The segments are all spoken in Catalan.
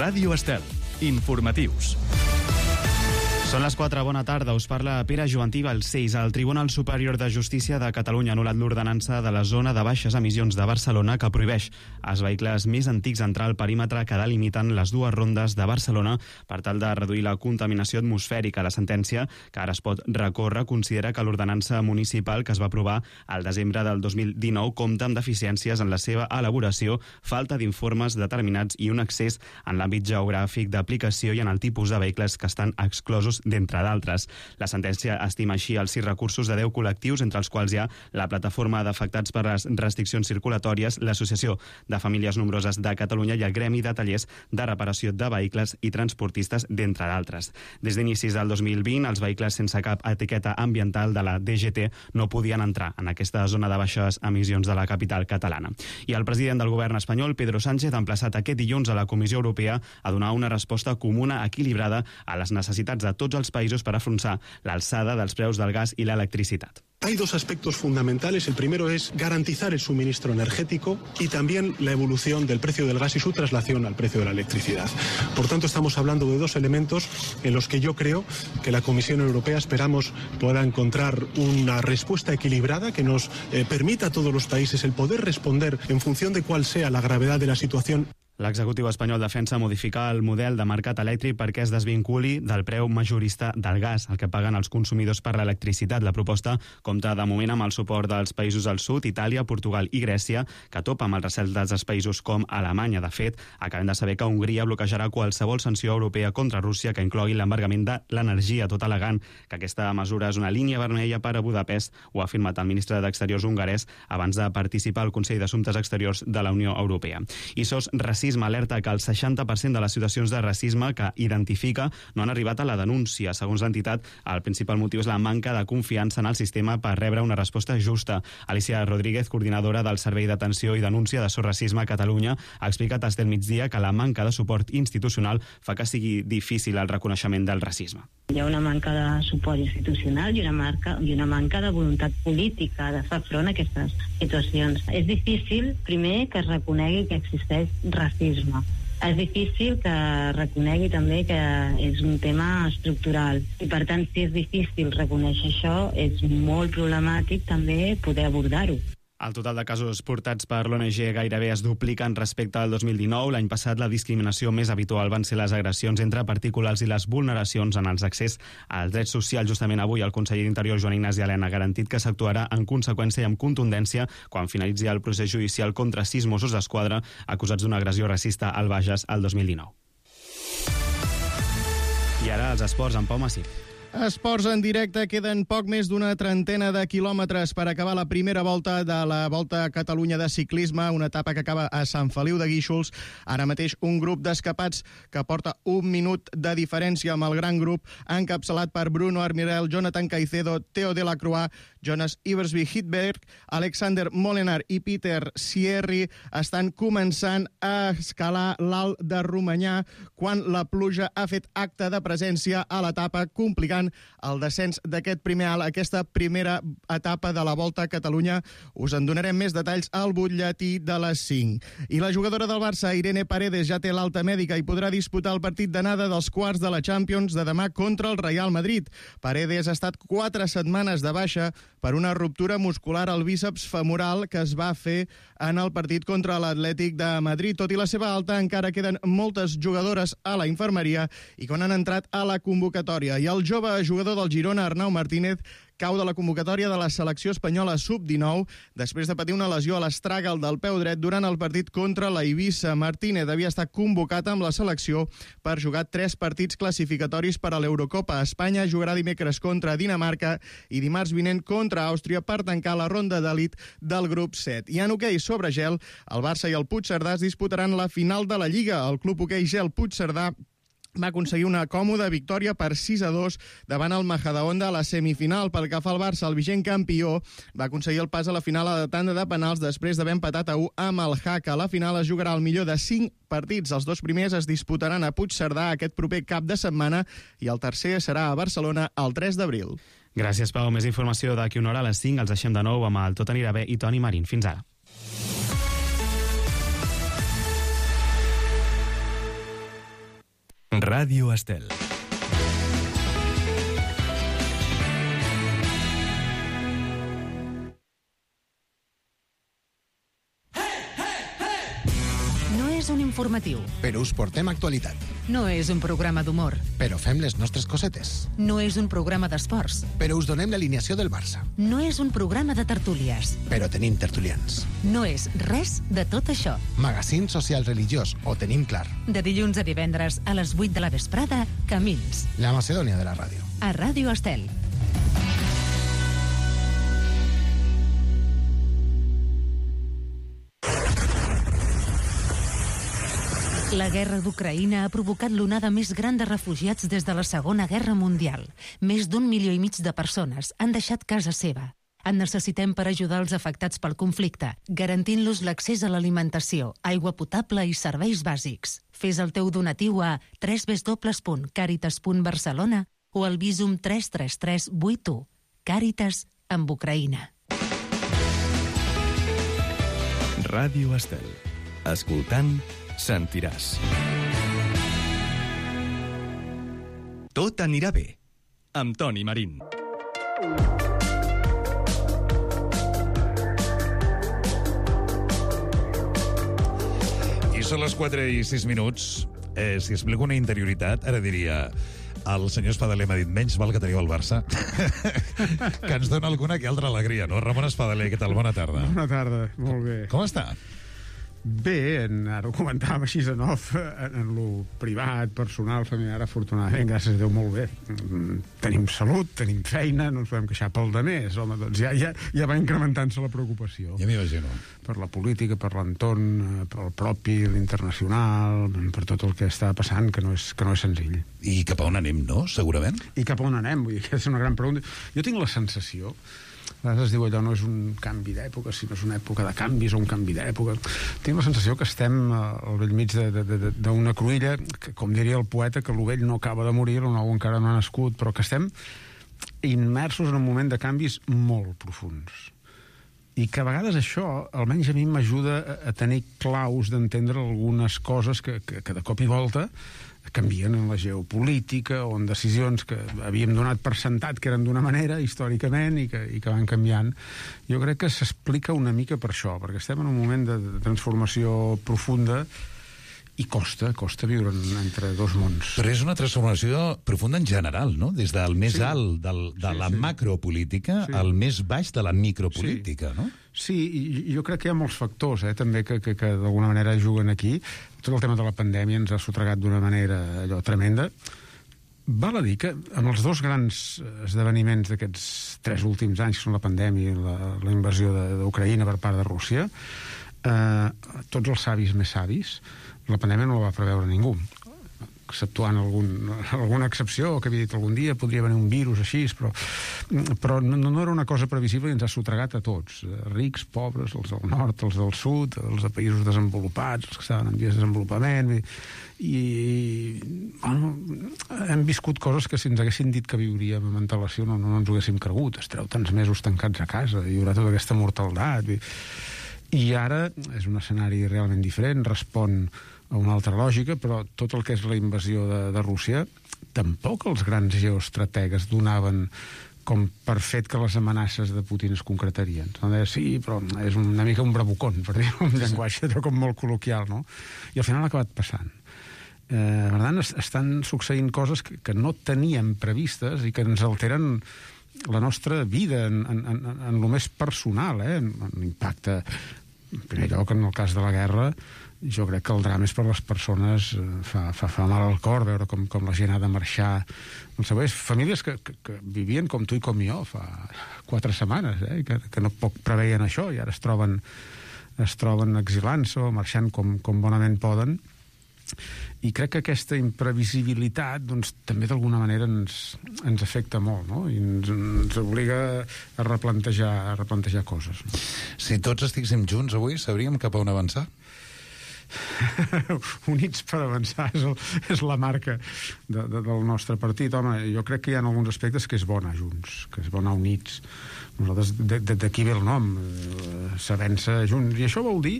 Ràdio Estel. Informatius. Són les 4, bona tarda, us parla Pere Jovantí Balcells. El Tribunal Superior de Justícia de Catalunya ha anul·lat l'ordenança de la zona de baixes emissions de Barcelona que prohibeix als vehicles més antics entrar al perímetre que delimiten les dues rondes de Barcelona per tal de reduir la contaminació atmosfèrica. La sentència, que ara es pot recórrer, considera que l'ordenança municipal que es va aprovar al desembre del 2019 compta amb deficiències en la seva elaboració, falta d'informes determinats i un excés en l'àmbit geogràfic d'aplicació i en el tipus de vehicles que estan exclosos, d'entre d'altres. La sentència estima així els 6 recursos de 10 col·lectius, entre els quals hi ha la Plataforma d'Afectats per les Restriccions Circulatòries, l'Associació de Famílies Nombroses de Catalunya i el Gremi de Tallers de Reparació de Vehicles i Transportistes, d'entre d'altres. Des d'inicis del 2020, els vehicles sense cap etiqueta ambiental de la DGT no podien entrar en aquesta zona de baixes emissions de la capital catalana. I el president del govern espanyol, Pedro Sánchez, ha emplaçat aquest dilluns a la Comissió Europea a donar una resposta comuna equilibrada a les necessitats de tots els països per afrontar l'alçada dels preus del gas i l'electricitat. Hay dos aspectos fundamentales. El primero es garantizar el suministro energético y también la evolución del precio del gas y su traslación al precio de la electricidad. Por tanto, estamos hablando de dos elementos en los que yo creo que la Comisión Europea esperamos pueda encontrar una respuesta equilibrada que nos permita a todos los países el poder responder en función de cuál sea la gravedad de la situación. L'executiu espanyol defensa modificar el model de mercat elèctric perquè es desvinculi del preu majorista del gas, el que paguen els consumidors per l'electricitat. La proposta compta de moment amb el suport dels països del sud, Itàlia, Portugal i Grècia, que topa amb el recel dels països com Alemanya. De fet, acabem de saber que Hongria bloquejarà qualsevol sanció europea contra Rússia que inclogui l'embargament de l'energia, tot al·legant que aquesta mesura és una línia vermella per a Budapest, ho ha afirmat el ministre d'Exteriors hongarès abans de participar al Consell d'Assumptes Exteriors de la Unió Europea. I SOS Racisme alerta que el 60% de les situacions de racisme que identifica no han arribat a la denúncia. Segons l'entitat, el principal motiu és la manca de confiança en el sistema per rebre una resposta justa. Alicia Rodríguez, coordinadora del Servei d'Atenció i Denúncia de SOS Racisme a Catalunya, ha explicat a Estel Migdia que la manca de suport institucional fa que sigui difícil el reconeixement del racisme. Hi ha una manca de suport institucional i una manca de voluntat política de fer front a aquestes situacions. És difícil, primer, que es reconegui que existeix racisme. És difícil que reconegui també que és un tema estructural. I per tant, si és difícil reconèixer això, és molt problemàtic també poder abordar-ho. El total de casos portats per l'ONG gairebé es dupliquen respecte al 2019. L'any passat la discriminació més habitual van ser les agressions entre particulars i les vulneracions en els accés als drets socials. Justament avui el conseller d'Interior, Joan Ignasi Elena, ha garantit que s'actuarà en conseqüència i amb contundència quan finalitzi el procés judicial contra 6 Mossos d'Esquadra acusats d'una agressió racista al Bages el 2019. I ara els esports amb Pau Massip. Esports en directe, queden poc més d'una trentena de quilòmetres per acabar la primera volta de la Volta a Catalunya de ciclisme, una etapa que acaba a Sant Feliu de Guíxols. Ara mateix un grup d'escapats que porta 1 minut de diferència amb el gran grup, encapçalat per Bruno Armirel, Jonathan Caicedo, Theo Delacroix, Jonas Iversby-Hidberg, Alexander Molenaar i Peter Sierri estan començant a escalar l'Alt de Romanyà quan la pluja ha fet acte de presència a l'etapa, complicant el descens d'aquest primer alt, aquesta primera etapa de la Volta a Catalunya. Us en donarem més detalls al butlletí de les 5. I la jugadora del Barça, Irene Paredes, ja té l'alta mèdica i podrà disputar el partit d'anada dels quarts de la Champions de demà contra el Real Madrid. Paredes ha estat 4 setmanes de baixa per una ruptura muscular al bíceps femoral que es va fer en el partit contra l'Atlètic de Madrid. Tot i la seva alta, encara queden moltes jugadores a la infermeria i quan han entrat a la convocatòria. I el jove jugador del Girona, Arnau Martínez, cau de la convocatòria de la selecció espanyola sub-19 després de patir una lesió a l'astràgal del peu dret durant el partit contra la Eivissa. Martínez havia estat convocat amb la selecció per jugar 3 partits classificatoris per a l'Eurocopa. Espanya jugarà dimecres contra Dinamarca i dimarts vinent contra Àustria per tancar la ronda d'elit del grup 7. I en hoquei sobre gel, el Barça i el Puigcerdà es disputaran la final de la Lliga. El club hoquei gel Puigcerdà va aconseguir una còmoda victòria per 6-2 davant el Majadahonda a la semifinal. Pel que fa al Barça, el vigent campió va aconseguir el pas a la final a la tanda de penals després d'haver empatat a 1 amb el Jaca. La final es jugarà al millor de 5 partits. Els 2 primers es disputaran a Puigcerdà aquest proper cap de setmana i el tercer serà a Barcelona el 3 d'abril. Gràcies, Pau. Més informació d'aquí una hora a les 5. Els deixem de nou amb el Tot anirà bé i Toni Marín. Fins ara. Ràdio Estel. No és un informatiu. Però us portem actualitat. No és un programa d'humor. Però fem les nostres cosetes. No és un programa d'esports. Però us donem l'alineació del Barça. No és un programa de tertúlies. Però tenim tertulians. No és res de tot això. Magazín social religiós, ho tenim clar. De dilluns a divendres a les 8 de la vesprada, Camins. La Macedònia de la ràdio. A Ràdio Estel. La guerra d'Ucraïna ha provocat l'onada més gran de refugiats des de la Segona Guerra Mundial. Més d'1,5 milió de persones han deixat casa seva. En necessitem per ajudar els afectats pel conflicte, garantint-los l'accés a l'alimentació, aigua potable i serveis bàsics. Fes el teu donatiu a www.caritas.barcelona o al Visum 33381. Càritas amb Ucraïna. Ràdio Estel. Escoltant, sentiràs. Tot anirà bé. Amb Toni Marín. I són les 4:06. Si explico una interioritat, ara diria... El senyor Espadaler m'ha dit menys val que teniu el Barça que ens dona alguna que altra alegria, no? Ramon Espadaler, què tal? Bona tarda. Bona tarda, molt bé. Com està? Bé, ara ho comentàvem així en off, en lo privat, personal, familiar, afortunadament, gràcies a Déu, molt bé. Tenim salut, tenim feina, no ens podem queixar pel de més, home, doncs ja va incrementant-se la preocupació. Ja m'imagino. Per la política, per l'entorn, per el propi, l'internacional, per tot el que està passant, que no és senzill. I cap a on anem, no? Segurament. I cap a on anem? Vull dir, aquesta és una gran pregunta. Jo tinc la sensació... A vegades es diu allò, no és un canvi d'època, sinó és una època de canvis o un canvi d'època. Tinc la sensació que estem al bell mig d'una cruïlla, que, com diria el poeta, que l'ovell no acaba de morir, el nou encara no ha nascut, però que estem immersos en un moment de canvis molt profunds. I que a vegades això, almenys a mi, m'ajuda a tenir claus d'entendre algunes coses que de cop i volta canvien en la geopolítica o en decisions que havíem donat per sentat que eren d'una manera històricament i que van canviant. Jo crec que s'explica una mica per això, perquè estem en un moment de transformació profunda i costa viure entre dos mons. Però és una transformació profunda en general, no? Des del més alt de la macropolítica al més baix de la micropolítica, no? Sí, i jo crec que hi ha molts factors, també, que d'alguna manera juguen aquí. Tot el tema de la pandèmia ens ha sotregat d'una manera allò tremenda. Val a dir que amb els dos grans esdeveniments d'aquests 3 últims anys, que són la pandèmia i la invasió d'Ucraïna per part de Rússia, tots els savis més savis, la pandèmia no la va preveure ningú, exceptuant alguna excepció que havia dit algun dia, podria venir un virus així, però no era una cosa previsible i ens ha sotregat a tots, rics, pobres, els del nord, els del sud, els de països desenvolupats, els que estaven en vies de desenvolupament, i bueno, hem viscut coses que si ens haguessin dit que viuríem amb antelació no ens ho haguéssim cregut. Estareu tants mesos tancats a casa, hi haurà tota aquesta mortaldat, i ara és un escenari realment diferent, respon a una altra lògica, però tot el que és la invasió de Rússia, tampoc els grans geoestrategues donaven com per fet que les amenaces de Putin es concretarien. Sí, però és una mica un bravucón, per dir-ho en llenguatge com molt col·loquial, no? I al final ha acabat passant. Per tant, estan succeint coses que no teníem previstes i que ens alteren la nostra vida en lo més personal, en l'impacte. En primer lloc, en el cas de la guerra, jo crec que el drama és per les persones, fa mal al cor veure com la gent ha de marxar. Famílies que vivien com tu i com jo fa 4 setmanes, que no poc preveien això i ara es troben exilant-se o marxant com bonament poden. I crec que aquesta imprevisibilitat també d'alguna manera ens afecta molt, no? I ens obliga a replantejar coses. Si tots estiguéssim junts avui, sabríem cap a on avançar? Units per avançar és la marca del nostre partit. Home, jo crec que hi ha alguns aspectes que és bo anar junts, que és bo anar units. Nosaltres, d'aquí ve el nom, s'avança junts. I això vol dir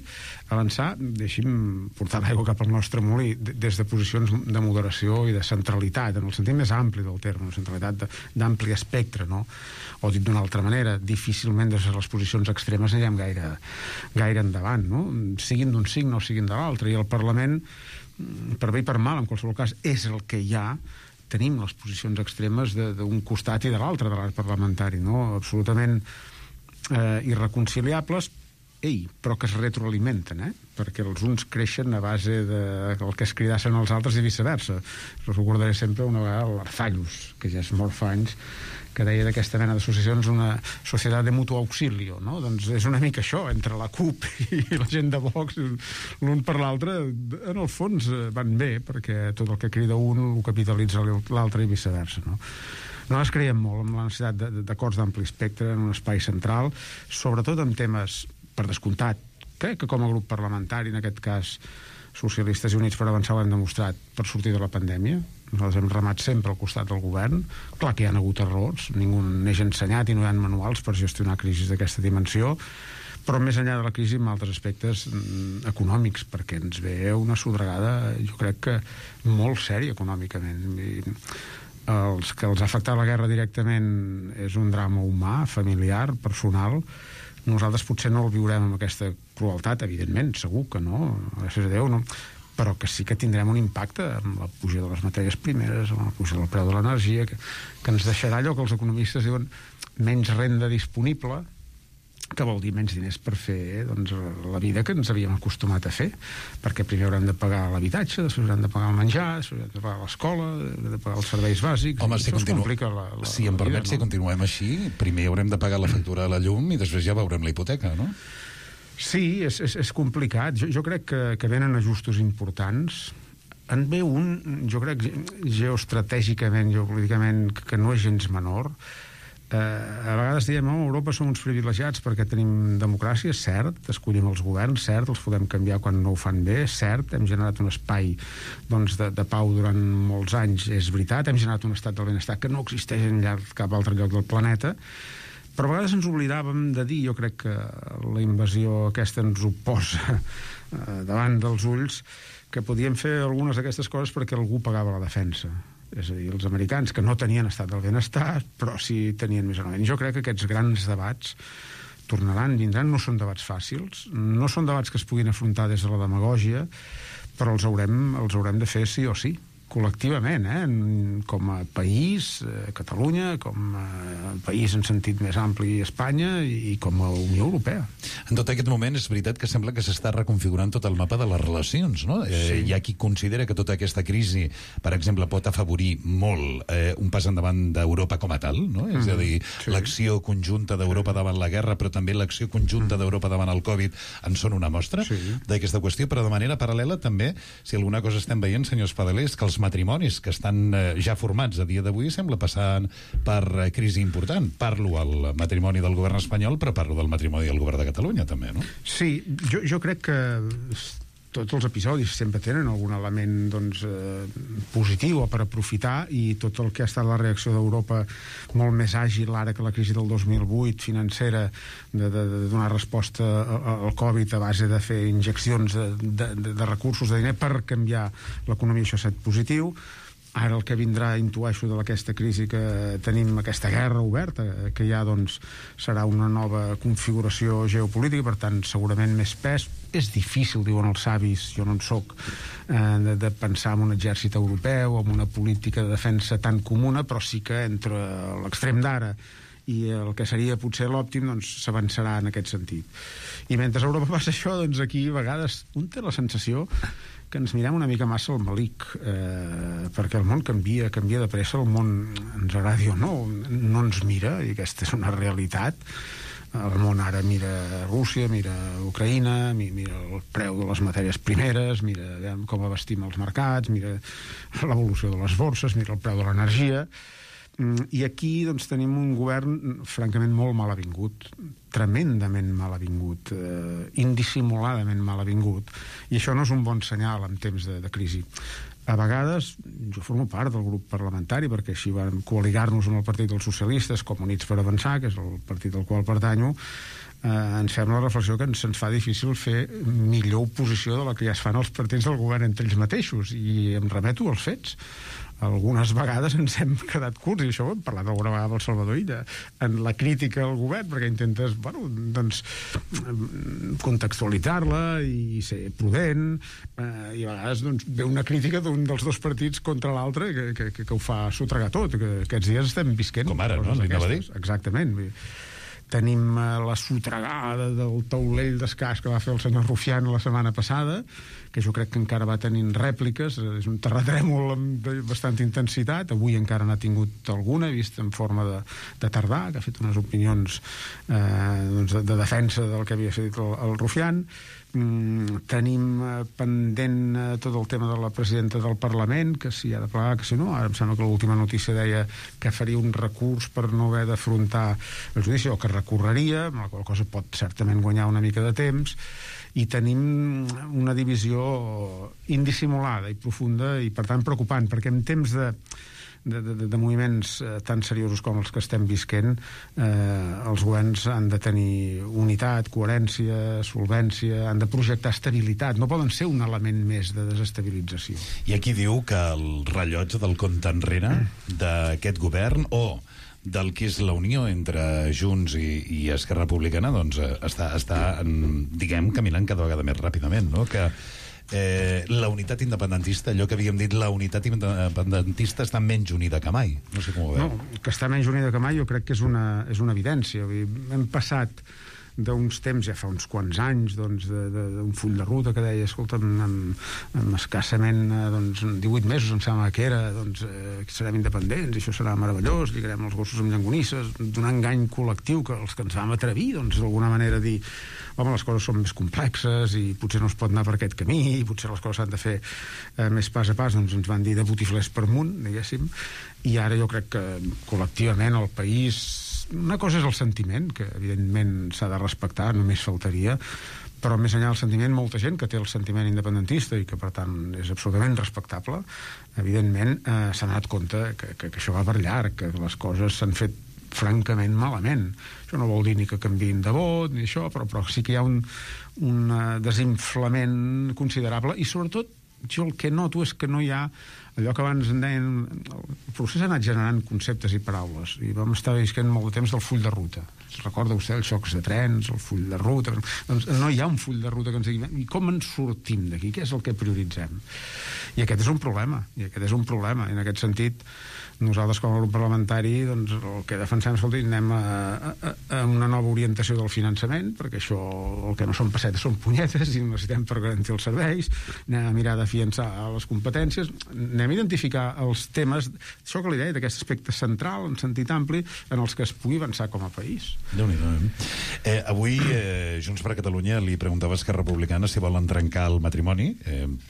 avançar, deixi'm portar l'aigua cap al nostre molí, des de posicions de moderació i de centralitat, en el sentit més ampli del terme, una centralitat d'ampli espectre, no? O dit d'una altra manera, difícilment des de les posicions extremes anirem gaire endavant, no? Siguin d'un signe o siguin de l'altre. I el Parlament, per bé i per mal, en qualsevol cas, és el que hi ha. Tenim les posicions extremes d'un costat i de l'altre de l'art parlamentari, no? Absolutament irreconciliables, però que es retroalimenten, perquè els uns creixen a base del que es cridassen els altres i viceversa. Recordaré sempre una vegada l'Arzallus, que ja és molt fa anys, que deia d'aquesta mena d'associacions una societat de mutuo auxilio, no? Doncs és una mica això, entre la CUP i la gent de Vox, l'un per l'altre, en el fons van bé, perquè tot el que crida un ho capitalitza l'altre i viceversa, no? Nosaltres creiem molt en la necessitat d'acords d'ampli espectre en un espai central, sobretot en temes, per descomptat, crec que com a grup parlamentari, en aquest cas Socialistes i Units per Avançar ho han demostrat per sortir de la pandèmia. Nosaltres hem remat sempre al costat del govern. Clar que hi ha hagut errors, ningú n'eix ensenyat i no hi ha manuals per gestionar crisis d'aquesta dimensió, però més enllà de la crisi en altres aspectes econòmics, perquè ens ve una sodragada, jo crec que molt sèria econòmicament. Els que els ha afectat la guerra directament és un drama humà, familiar, personal. Nosaltres potser no el viurem amb aquesta crueltat, evidentment, segur que no, gràcies a Déu, no, però que sí que tindrem un impacte amb la puja de les matèries primeres, amb la puja del preu de l'energia, que ens deixarà allò que els economistes diuen menys renda disponible, que vol dir menys diners per fer la vida que ens havíem acostumat a fer, perquè primer haurem de pagar l'habitatge, després haurem de pagar el menjar, després haurem de pagar l'escola, haurem de pagar els serveis bàsics. Home, si em permet, si continuem així, primer haurem de pagar la factura de la llum i després ja veurem la hipoteca, no? Sí, és complicat. Jo crec que venen ajustos importants. En ve un, jo crec, geoestratègicament, geopolíticament, que no és gens menor. A vegades diem, a Europa som uns privilegiats perquè tenim democràcia, cert, escollim els governs, cert, els podem canviar quan no ho fan bé, cert, hem generat un espai de pau durant molts anys, és veritat, hem generat un estat del benestar que no existeix en cap altre lloc del planeta, però a vegades ens oblidàvem de dir, jo crec que la invasió aquesta ens ho posa davant dels ulls, que podíem fer algunes d'aquestes coses perquè algú pagava la defensa. És a dir, els americans, que no tenien estat del benestar, però sí tenien més o menys. Jo crec que aquests grans debats tornaran, vindran, no són debats fàcils, no són debats que es puguin afrontar des de la demagògia, però els haurem de fer sí o sí, col·lectivament, com a país, Catalunya, com a país en sentit més ampli, Espanya, i com a Unió Europea. En tot aquest moment és veritat que sembla que s'està reconfigurant tot el mapa de les relacions, no? Sí. Hi ha qui considera que tota aquesta crisi, per exemple, pot afavorir molt un pas endavant d'Europa com a tal, no? És a dir, sí, l'acció conjunta d'Europa davant la guerra, però també l'acció conjunta d'Europa davant el Covid en són una mostra d'aquesta qüestió, però de manera paral·lela també, si alguna cosa estem veient, senyor Espadaler, és que els matrimonis que estan ja formats a dia d'avui sembla passar per crisi important. Parlo al matrimoni del govern espanyol, però parlo del matrimoni del govern de Catalunya també, no? Sí, jo crec que tots els episodis sempre tenen algun element positiu per aprofitar, i tot el que ha estat la reacció d'Europa molt més àgil ara que la crisi del 2008 financera, de donar resposta al Covid a base de fer injeccions de recursos, de diner per canviar l'economia, això ha estat positiu. Ara el que vindrà, intueixo, d'aquesta crisi que tenim, aquesta guerra oberta, que ja serà una nova configuració geopolítica, per tant, segurament més pes. És difícil, diuen els savis, jo no en soc, de pensar en un exèrcit europeu, en una política de defensa tan comuna, però sí que entre l'extrem d'ara i el que seria potser l'òptim, s'avançarà en aquest sentit. I mentre a Europa passa això, aquí a vegades un té la sensació que ens mirem una mica massa al malic, perquè el món canvia de pressa, el món, ens agradi o no ens mira, i aquesta és una realitat. El món ara mira Rússia, mira Ucraïna, mira el preu de les matèries primeres, mira com abastim els mercats, mira l'evolució de les borses, mira el preu de l'energia. I aquí tenim un govern francament molt mal avingut, tremendament mal avingut, indissimuladament mal avingut, i això no és un bon senyal en temps de crisi. A vegades, jo formo part del grup parlamentari, perquè així vam coaligar-nos amb el Partit dels Socialistes, com Units per Avançar, que és el partit al qual pertanyo, ens fem la reflexió que se'ns fa difícil fer millor oposició de la que ja es fan els partits del govern entre ells mateixos, i em remeto als fets. Algunes vegades ens hem quedat curts, i això ho hem parlat alguna vegada amb el Salvador Illa, en la crítica al govern, perquè intentes, contextualitzar-la i ser prudent, i a vegades ve una crítica d'un dels dos partits contra l'altre que ho fa sotregar tot, que aquests dies estem visquent. Com ara, no? Exactament. Tenim la sotregada del taulell d'escacs que va fer el senyor Rufián la setmana passada, que jo crec que encara va tenint rèpliques, és un terratrèmol amb bastanta intensitat, avui encara n'ha tingut alguna, vist en forma de tardà, que ha fet unes opinions de defensa del que havia fet el Rufián. Tenim pendent tot el tema de la presidenta del Parlament, que si ha de plegar, que si no. Ara em sembla que l'última notícia deia que faria un recurs per no haver d'afrontar el judici, o que recorreria, amb la qual cosa pot certament guanyar una mica de temps. I tenim una divisió indissimulada i profunda i, per tant, preocupant, perquè en temps de moviments tan seriosos com els que estem visquent, els governs han de tenir unitat, coherència, solvència, han de projectar estabilitat, no poden ser un element més de desestabilització. I aquí diu que el rellotge del compte enrere d'aquest govern, o del que és la unió entre Junts i Esquerra Republicana, doncs està diguem, caminant cada vegada més ràpidament, no? Que la unitat independentista, allò que havíem dit, la unitat independentista està menys unida que mai. No sé com ho veu. No, que està menys unida que mai jo crec que és una evidència. Hem passat d'uns temps, ja fa uns quants anys, d'un full de ruta que deia, escolta, amb escassament 18 mesos em sembla que era, serem independents, això serà meravellós, lligarem els gossos amb llangonisses, d'un engany col·lectiu que els que ens vam atrevir, d'alguna manera dir, home, les coses són més complexes i potser no es pot anar per aquest camí, i potser les coses s'han de fer més pas a pas, ens van dir de botiflers per amunt, diguéssim, i ara jo crec que col·lectivament el país, una cosa és el sentiment, que evidentment s'ha de respectar, només faltaria, però més enllà del sentiment, molta gent que té el sentiment independentista i que per tant és absolutament respectable, evidentment s'ha donat compte que això va per llarg, que les coses s'han fet francament malament. Això no vol dir ni que canviïn de vot ni això, però sí que hi ha un desinflament considerable, i sobretot jo el que noto és que no hi ha allò que abans en deien, el procés ha anat generant conceptes i paraules, i vam estar visquent molt de temps del full de ruta. Recorda vostè els xocs de trens, el full de ruta? Doncs no hi ha un full de ruta que ens digui, i com ens sortim d'aquí? Què és el que prioritzem? I aquest és un problema, i en aquest sentit nosaltres com a grup parlamentari el que defensem, escolti, anem a una nova orientació del finançament, perquè això, el que no són pessetes són punyetes i necessitem per garantir els serveis, anem a mirar d'afiançar les competències, anem a identificar els temes, això que li deia, d'aquest aspecte central, en sentit ampli, en els que es pugui avançar com a país. Déu-n'hi-do. Avui Junts per Catalunya li preguntava a Esquerra Republicana si volen trencar el matrimoni,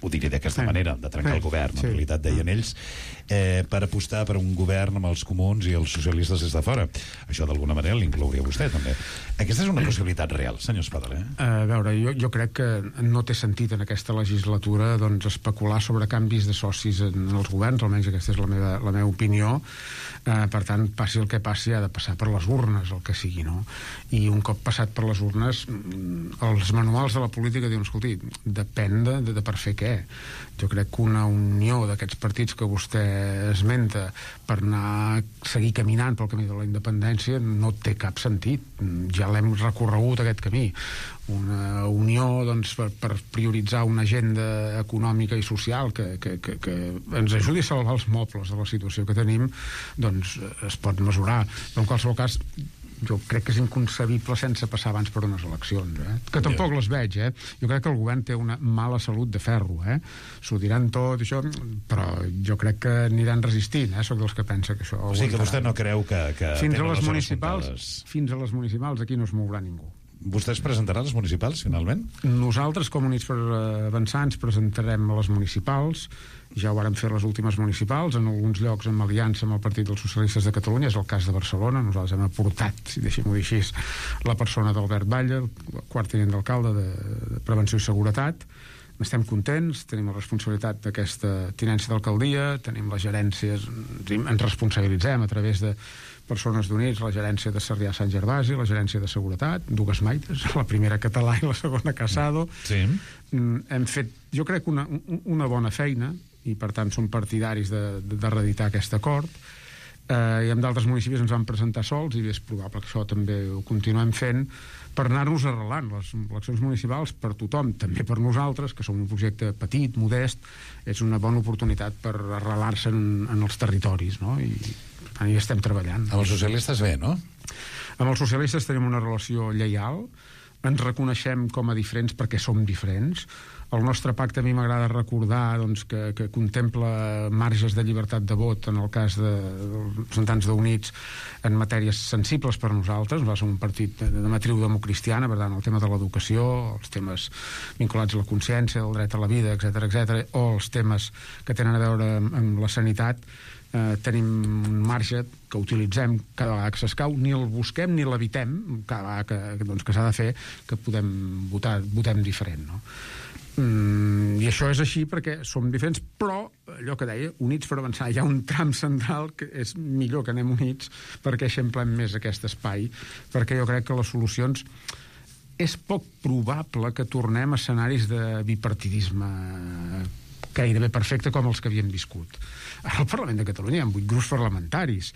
ho diré d'aquesta manera, de trencar el govern, en realitat deien ells, per apostar per un govern amb els comuns i els socialistes des de fora. Això d'alguna manera l'inclouria vostè també. Aquesta és una possibilitat real, senyor Espadaler. A veure, jo crec que no té sentit en aquesta legislatura especular sobre canvis de socis en els governs, almenys aquesta és la meva opinió. Per tant, passi el que passi, ha de passar per les urnes, el que sigui, no? I un cop passat per les urnes, els manuals de la política diuen, escolti, depèn de per fer què. Jo crec que una unió d'aquests partits que vostè esmenta per seguir caminant pel camí de la independència no té cap sentit. Ja l'hem recorregut, aquest camí. Una unió per prioritzar una agenda econòmica i social que ens ajudi a salvar els mobles de la situació que tenim, doncs es pot mesurar. Però en qualsevol cas jo crec que és inconcebible sense passar abans per unes eleccions, que tampoc les veig, Jo crec que el govern té una mala salut de ferro, S'ho diran tot, això, però jo crec que aniran resistint, Soc dels que pensa que això... O sigui que vostè no creu que fins a les municipals aquí no es mourà ningú. Vostè es presentarà a les municipals, finalment? Nosaltres, com Units per Avançar, ens presentarem a les municipals. Ja ho vàrem fer les últimes municipals, en alguns llocs amb aliança amb el Partit dels Socialistes de Catalunya, és el cas de Barcelona. Nosaltres hem aportat, si deixem-ho dir així, la persona d'Albert Batlle, el quart tinent d'alcalde de Prevenció i Seguretat. Estem contents, tenim la responsabilitat d'aquesta tinència d'alcaldia, tenim les gerències, ens responsabilitzem a través de persones d'Units, la gerència de Sarrià-Sant Gervasi, la gerència de Seguretat, dues maites, la primera Català i la segona Casado. Sí. Hem fet, jo crec, una bona feina, i per tant som partidaris de reeditar aquest acord. I en d'altres municipis ens van presentar sols, i és probable que això també ho continuem fent, per anar-nos arrelant. Les eleccions municipals per tothom, també per nosaltres, que som un projecte petit, modest, és una bona oportunitat per arrelar-se en els territoris, no? I per tant hi estem treballant. Amb els socialistes bé, no? Amb els socialistes tenim una relació lleial, ens reconeixem com a diferents perquè som diferents. El nostre pacte, a mi m'agrada recordar, doncs, que contempla marges de llibertat de vot en el cas dels representants d'Units en matèries sensibles per nosaltres. Va ser un partit de matriu democristiana, per tant, el tema de l'educació, els temes vinculats a la consciència, el dret a la vida, etc, o els temes que tenen a veure amb la sanitat, tenim un marge que utilitzem cada vegada que s'escau, ni el busquem ni l'evitem, cada vegada que s'ha de fer, que podem votem diferent, no? I això és així perquè som diferents, però allò que deia, units per avançar, hi ha un tram central que és millor que anem units perquè eixamplem més aquest espai, perquè jo crec que les solucions és poc probable que tornem a escenaris de bipartidisme gairebé perfecte com els que havíem viscut. Al Parlament de Catalunya hi ha 8 grups parlamentaris,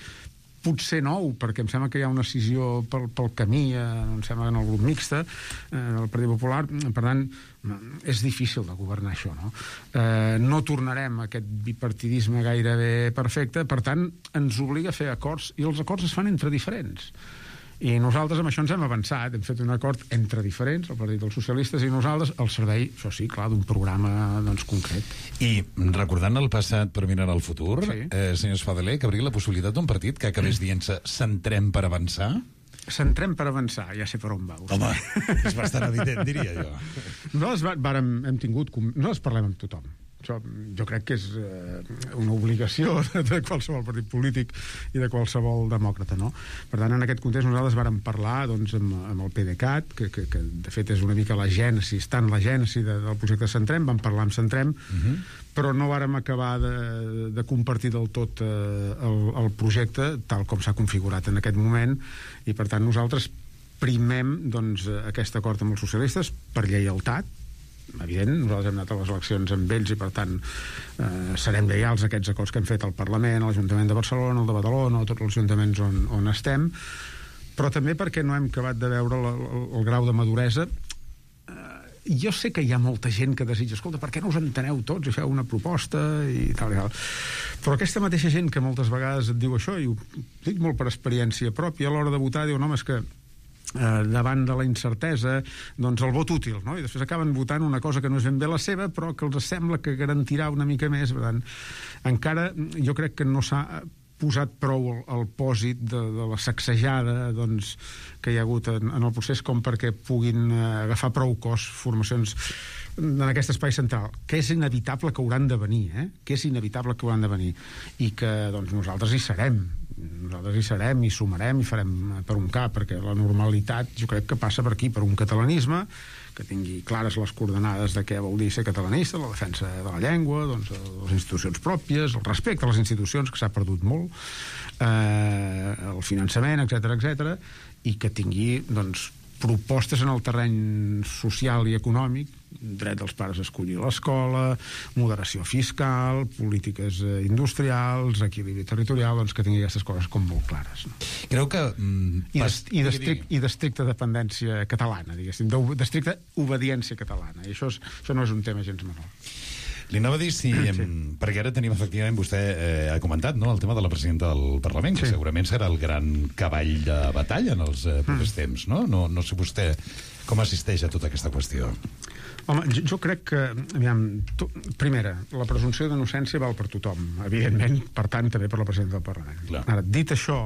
potser 9, perquè em sembla que hi ha una escissió pel camí, em sembla, en el grup mixte del Partit Popular. Per tant, és difícil de governar això, no? No tornarem a aquest bipartidisme gairebé perfecte, per tant, ens obliga a fer acords, i els acords es fan entre diferents. I nosaltres amb això ens hem avançat, hem fet un acord entre diferents, el Partit dels Socialistes i nosaltres, al servei, això sí, clar, d'un programa doncs, concret. I recordant el passat per mirar al futur, sí. Senyor Espadaler, cabria la possibilitat d'un partit que acabés dient-se centrem per avançar? Centrem per avançar, ja sé per on va. Home, és bastant evident, diria jo. Nosaltres hem tingut... Nosaltres parlem amb tothom. Això jo crec que és una obligació de qualsevol partit polític i de qualsevol demòcrata, no? Per tant, en aquest context nosaltres vàrem parlar doncs, amb el PDeCAT, que de fet és una mica la gènesi, està en la gènesi del projecte Centrem, vam parlar amb Centrem, però no vàrem acabar de compartir del tot el projecte tal com s'ha configurat en aquest moment, i per tant nosaltres primem doncs, aquest acord amb els socialistes per lleialtat. Evident, nosaltres hem anat a les eleccions amb ells i per tant serem lleials a aquests acords que hem fet al Parlament, a l'Ajuntament de Barcelona, al de Badalona, a tots els ajuntaments on estem, però també perquè no hem acabat de veure el grau de maduresa. Jo sé que hi ha molta gent que desitja, escolta, per què no us enteneu tots i feu una proposta i tal i tal, però aquesta mateixa gent que moltes vegades et diu això, i ho dic molt per experiència pròpia, a l'hora de votar diu, no, és que davant de la incertesa, doncs el vot útil, no? I després acaben votant una cosa que no és ben bé la seva, però que els sembla que garantirà una mica més. Per tant, encara jo crec que no s'ha posat prou el pòsit de la sacsejada doncs, que hi ha hagut en el procés com perquè puguin agafar prou cos formacions en aquest espai central, que és inevitable que hauran de venir, que és inevitable que hauran de venir, i que doncs, nosaltres hi serem, i sumarem i farem per un cap, perquè la normalitat jo crec que passa per aquí, per un catalanisme que tingui clares les coordenades de què vol dir ser catalanista, la defensa de la llengua, doncs, les institucions pròpies, el respecte a les institucions, que s'ha perdut molt, el finançament, etc, i que tingui doncs, propostes en el terreny social i econòmic, dret dels pares a escollir l'escola, moderació fiscal, polítiques industrials, equilibri territorial, doncs que tingui aquestes coses com molt clares. No? Creu que... I d'estricta dependència catalana, diguéssim, d'estricta obediència catalana. I això no és un tema gens menor. Li anava a dir si... Sí. Perquè ara tenim, efectivament, vostè ha comentat, no?, el tema de la presidenta del Parlament, que sí, segurament serà el gran cavall de batalla en els propers temps, no? No sé vostè com assisteix a tota aquesta qüestió. Home, jo crec que, aviam, primera, la presumpció d'innocència val per tothom, evidentment, per tant, també per la presidenta del Parlament. Clar. Ara, dit això,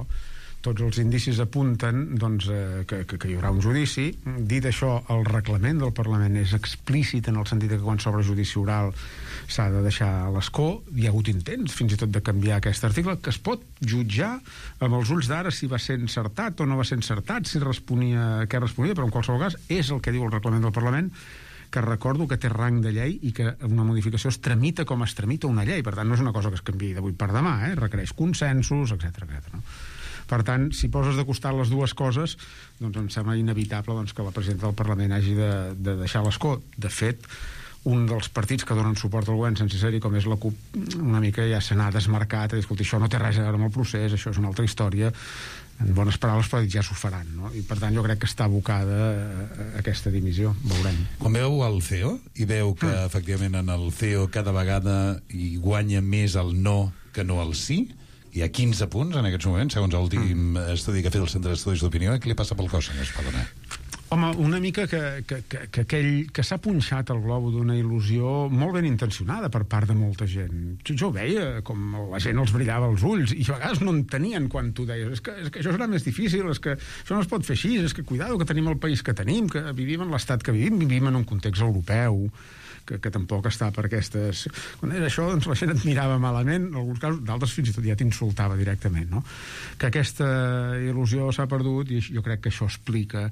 tots els indicis apunten doncs, que hi haurà un judici. Dit això, el reglament del Parlament és explícit en el sentit que quan s'obre judici oral s'ha de deixar a l'escó. Hi ha hagut intents, fins i tot, de canviar aquest article, que es pot jutjar amb els ulls d'ara si va ser encertat o no va ser encertat, si responia, què responia, però en qualsevol cas és el que diu el reglament del Parlament, que recordo que té rang de llei i que una modificació es tramita com es tramita una llei. Per tant, no és una cosa que es canviï d'avui per demà, requereix consensos, etc. No? Per tant, si poses de costat les dues coses, doncs em sembla inevitable que la presidenta del Parlament hagi de deixar l'escó. De fet, un dels partits que donen suport al govern sense ser-hi, com és la CUP, una mica ja se n'ha desmarcat, a dir, escolta, això no té res a veure amb el procés, això és una altra història, en bones paraules, però ja s'ho faran, no? I per tant jo crec que està abocada a aquesta dimissió, veurem. Quan veu el CEO i veu que efectivament en el CEO cada vegada hi guanya més el no que no el sí, hi ha 15 punts en aquests moments, segons l'últim estudi que ha fet el Centre d'Estudis d'Opinió, què li passa pel cos, senyor Espadona? Home, una mica que aquell que s'ha punxat el globo d'una il·lusió molt ben intencionada per part de molta gent. Jo veia com la gent els brillava els ulls i a vegades no entenien quan tu deies és que això serà més difícil, és que això no es pot fer així, és que cuidado, que tenim el país que tenim, que vivim en l'estat que vivim en un context europeu, que tampoc està per aquestes... Quan era això, doncs la gent et mirava malament, en alguns casos, d'altres fins i tot ja t'insultava directament, no? Que aquesta il·lusió s'ha perdut i jo crec que això explica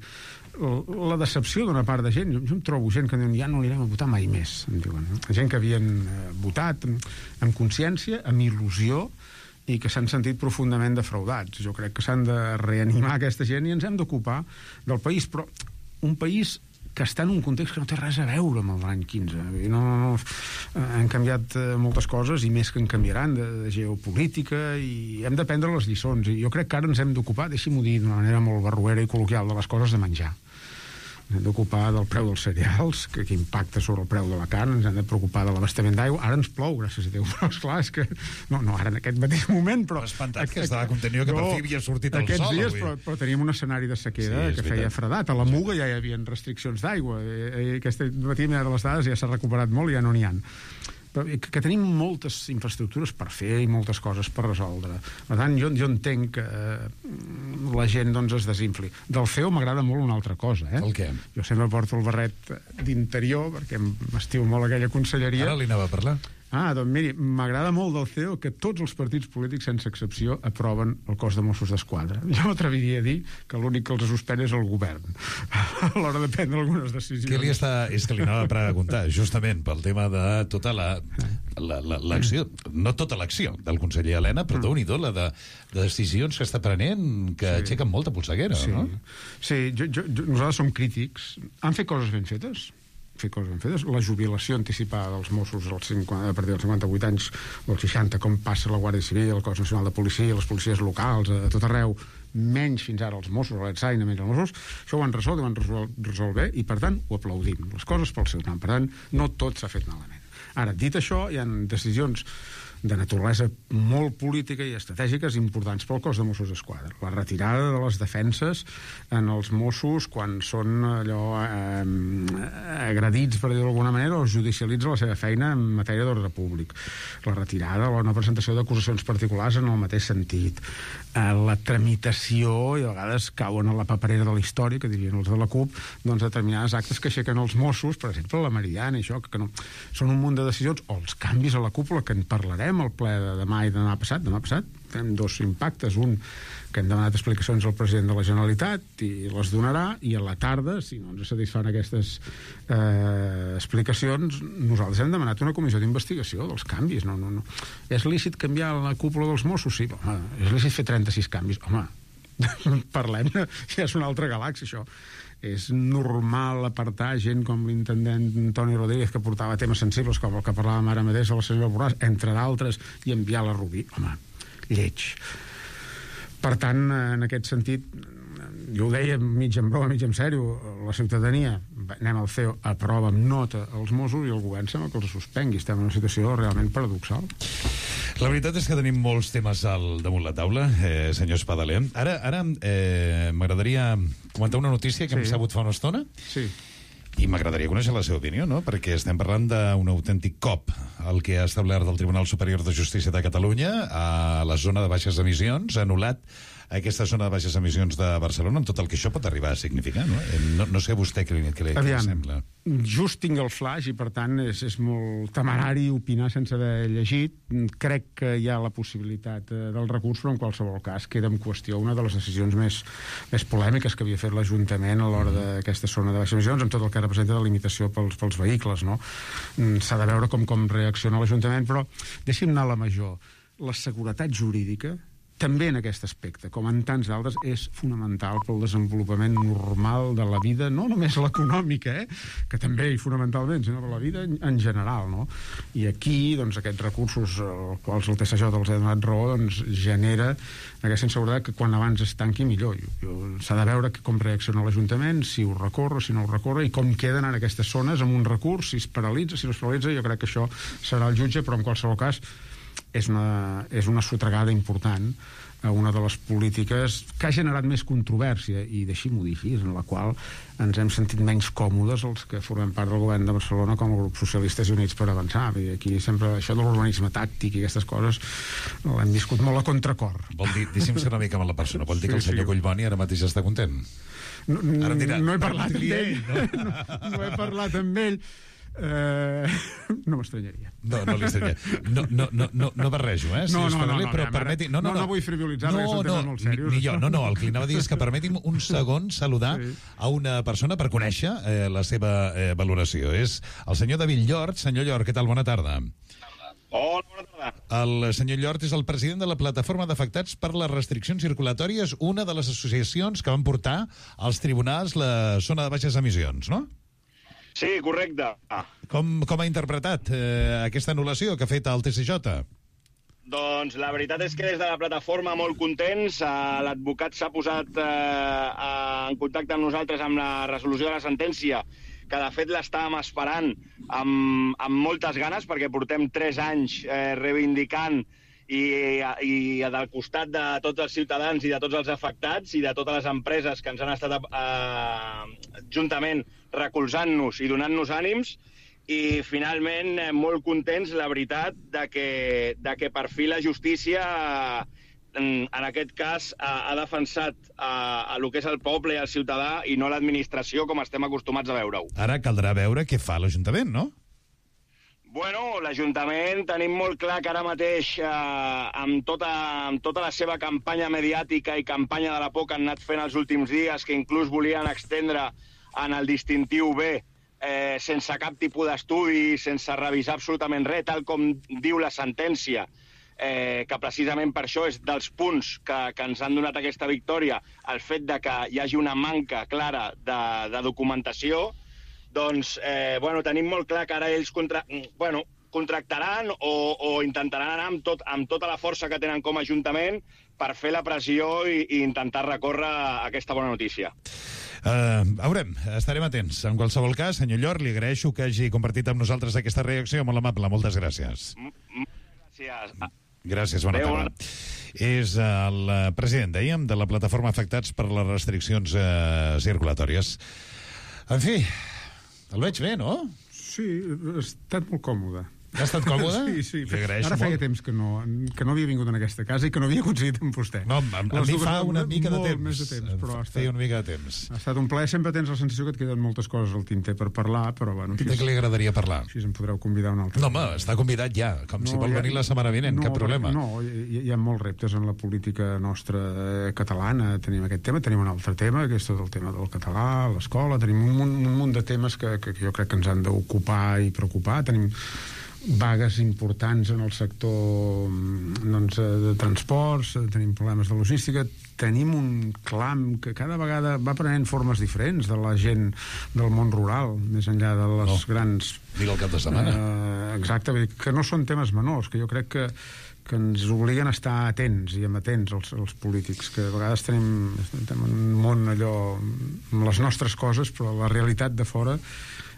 la decepció d'una part de gent. Jo em trobo gent que diuen ja no anirem a votar mai més, em diuen, no? Gent que havien votat amb consciència, amb il·lusió, i que s'han sentit profundament defraudats. Jo crec que s'han de reanimar aquesta gent i ens hem d'ocupar del país, però un país que està en un context que no té res a veure amb l'any 15. Han canviat moltes coses i més que en canviaran de geopolítica i hem de prendre les lliçons. I jo crec que ara ens hem d'ocupar, deixi-m'ho dir d'una manera molt barruera i col·loquial, de les coses de menjar. Ens hem d'ocupar del preu dels cereals, que impacta sobre el preu de la carn, ens hem de preocupar de l'abastament d'aigua. Ara ens plou, gràcies a Déu, però esclar, és que... No ara en aquest mateix moment, però... Espantat que estava contenidor que per fi havia sortit el sol. Aquests dies, però tenim un escenari de sequera que feia fredat. A la Muga ja hi havia restriccions d'aigua. Aquest matí m'he de les dades, ja s'ha recuperat molt i ja no n'hi ha. Però que tenim moltes infraestructures per fer i moltes coses per resoldre. Per tant, jo entenc que la gent doncs, es desinfli. Del CEO m'agrada molt una altra cosa. El què? Jo sempre porto el barret d'interior, perquè m'estimo molt aquella conselleria. Ara li anava a parlar. Doncs miri, m'agrada molt del CEO que tots els partits polítics, sense excepció, aproven el cos de Mossos d'Esquadra. Jo m'atreviria a dir que l'únic que els suspèn és el govern a l'hora de prendre algunes decisions. És que li anava a preguntar, justament pel tema de tota l'acció, no tota l'acció del conseller Elena, però déu-n'hi-do la de decisions que està prenent que aixequen molta polseguera, no? Sí, nosaltres som crítics. Han fet coses ben fetes? La jubilació anticipada dels Mossos a partir dels 58 anys o els 60, com passa la Guàrdia Civil, el Cos Nacional de Policia, les policies locals, a tot arreu, menys fins ara els Mossos, l'Etsaina, menys els Mossos, això ho han resolt i ho han resolt bé, i per tant ho aplaudim. Les coses pel seu temps. Per tant, no tot s'ha fet malament. Ara, dit això, hi ha decisions de naturalesa molt política i estratègiques importants pel cos de Mossos d'Esquadra. La retirada de les defenses en els Mossos quan són allò agredits, per dir-ho d'alguna manera, o judicialitza la seva feina en matèria d'ordre públic. La retirada o no presentació d'acusacions particulars en el mateix sentit. La tramitació, i a vegades cauen a la paperera de la història, que dirien els de la CUP, doncs determinades actes que aixequen els Mossos, per exemple, la Meridiana i això, que no... Són un munt de decisions, o els canvis a la cúpula, que en parlarem al ple de demà i demà passat fem dos impactes, un que hem demanat explicacions al president de la Generalitat i les donarà, i a la tarda, si no ens satisfan aquestes explicacions, nosaltres hem demanat una comissió d'investigació dels canvis. No. És lícit canviar la cúpula dels Mossos? Sí, home, és lícit fer 36 canvis? Home, parlem-ne, ja és una altra galàxia, això. És normal apartar gent com l'intendent Toni Rodríguez, que portava temes sensibles com el que parlàvem ara mateix de la senyora Borràs, entre d'altres, i enviar la Rubí. Home, lleig. Per tant, en aquest sentit, jo ho deia mig en broma, mig en sèrio, la ciutadania, anem al CEO, aprova amb nota els Mossos i el govern sembla que els suspengui. Estem en una situació realment paradoxal. La veritat és que tenim molts temes damunt la taula, senyor Espadaler. Ara m'agradaria comentar una notícia que hem sabut fa una estona. Sí. I m'agradaria conèixer la seva opinió, no? Perquè estem parlant d'un autèntic cop el que ha establert el Tribunal Superior de Justícia de Catalunya a la zona de baixes emissions, ha anul·lat aquesta zona de baixes emissions de Barcelona, amb tot el que això pot arribar a significar, no? No sé a vostè què li sembla. Just tinc el flash i, per tant, és molt temerari opinar sense haver llegit. Crec que hi ha la possibilitat del recurs, però en qualsevol cas queda en qüestió una de les decisions més polèmiques que havia fet l'Ajuntament a l'hora d'aquesta zona de baixes emissions, amb tot el que representa de limitació pels vehicles, no? S'ha de veure com reacciona l'Ajuntament, però deixi'm anar a la major. La seguretat jurídica també en aquest aspecte, com en tants d'altres, és fonamental pel desenvolupament normal de la vida, no només l'econòmica, que també i fonamentalment, sinó per la vida en general, no? I aquí, doncs, aquests recursos als quals el TSJ els ha donat raó, doncs, genera aquesta inseguretat que quan abans es tanqui millor. S'ha de veure com reacciona l'Ajuntament, si ho recorre, si no ho recorre, i com queden en aquestes zones amb un recurs, si es paralitza, si no es paralitza. Jo crec que això serà el jutge, però en qualsevol cas és una sotregada important a una de les polítiques que ha generat més controvèrsia, i deixi-m'ho dir així, en la qual ens hem sentit menys còmodes els que formem part del govern de Barcelona com a grup Socialistes i Units per Avançar. I aquí sempre això de l'urbanisme tàctic i aquestes coses l'hem viscut molt a contracor. Vol dir, deixi'm ser una mica amb la persona, vol dir que el senyor Collboni ara mateix està content? No he parlat amb ell. No he parlat amb ell. No m'estranyaria. No li estranyaria. No barrejo, si us parli, però permeti... No vull frivolitzar, perquè són temes molt serios. Ni jo, el que li anava a dir és que permeti'm un segon saludar a una persona per conèixer la seva valoració. És el senyor David Llort. Senyor Llort, què tal? Bona tarda. Hola, bona tarda. El senyor Llort és el president de la plataforma d'afectats per les restriccions circulatòries, una de les associacions que van portar als tribunals la zona de baixes emissions, no? Sí, correcte. Com ha interpretat aquesta anul·lació que ha fet el TSJ? Doncs la veritat és que des de la plataforma molt contents. L'advocat s'ha posat en contacte amb nosaltres amb la resolució de la sentència, que de fet l'estàvem esperant amb moltes ganes, perquè portem 3 anys reivindicant i del costat de tots els ciutadans i de tots els afectats i de totes les empreses que ens han estat juntament recolzant-nos i donant-nos ànims, i finalment molt contents, la veritat, de que per fi la justícia en aquest cas ha defensat el que és el poble i el ciutadà i no l'administració, com estem acostumats a veure-ho. Ara caldrà veure què fa l'Ajuntament, no? Bueno, l'Ajuntament tenim molt clar que ara mateix, amb tota la seva campanya mediàtica i campanya de la por que han anat fent els últims dies, que inclús volien extendre en el distintiu B, sense cap tipus d'estudi, sense revisar absolutament res, tal com diu la sentència, que precisament per això és dels punts que ens han donat aquesta victòria, el fet de que hi hagi una manca clara de documentació. Doncs, tenim molt clar que ara ells contractaran o intentaran anar amb tota la força que tenen com a Ajuntament per fer la pressió i intentar recórrer aquesta bona notícia. Veurem, estarem atents. En qualsevol cas, senyor Llort, li agraeixo que hagi compartit amb nosaltres aquesta reacció molt amable. Moltes gràcies. Gràcies. Gràcies, bona tarda. És el president, dèiem, de la plataforma Afectats per les restriccions circulatòries. En fi, el veig bé, no? Sí, ha estat molt còmode. Ha estat còmode? Sí. Ara feia temps que no havia vingut en aquesta casa i que no havia coincidit amb vostè. No, a mi fa una mica de temps. Més de temps, però feia una mica de temps. Ha estat un plaer. Sempre tens la sensació que et queden moltes coses al tinter per parlar, però bueno... De què li agradaria parlar? Així em podreu convidar un altre. No, home, està convidat ja, si vol venir la setmana vinent, cap problema. No, hi ha molts reptes en la política nostra catalana. Tenim aquest tema, tenim un altre tema, que és tot el tema del català, l'escola, tenim un munt de temes que jo crec que ens han d'ocupar i preocupar. Tenim vagues importants en el sector de transports, tenim problemes de logística, tenim un clam que cada vegada va prenent formes diferents de la gent del món rural, més enllà de les grans... Digue el cap de setmana. Exacte, que no són temes menors, que jo crec que ens obliguen a estar atents i amatents els polítics, que a vegades tenim un món allò amb les nostres coses, però la realitat de fora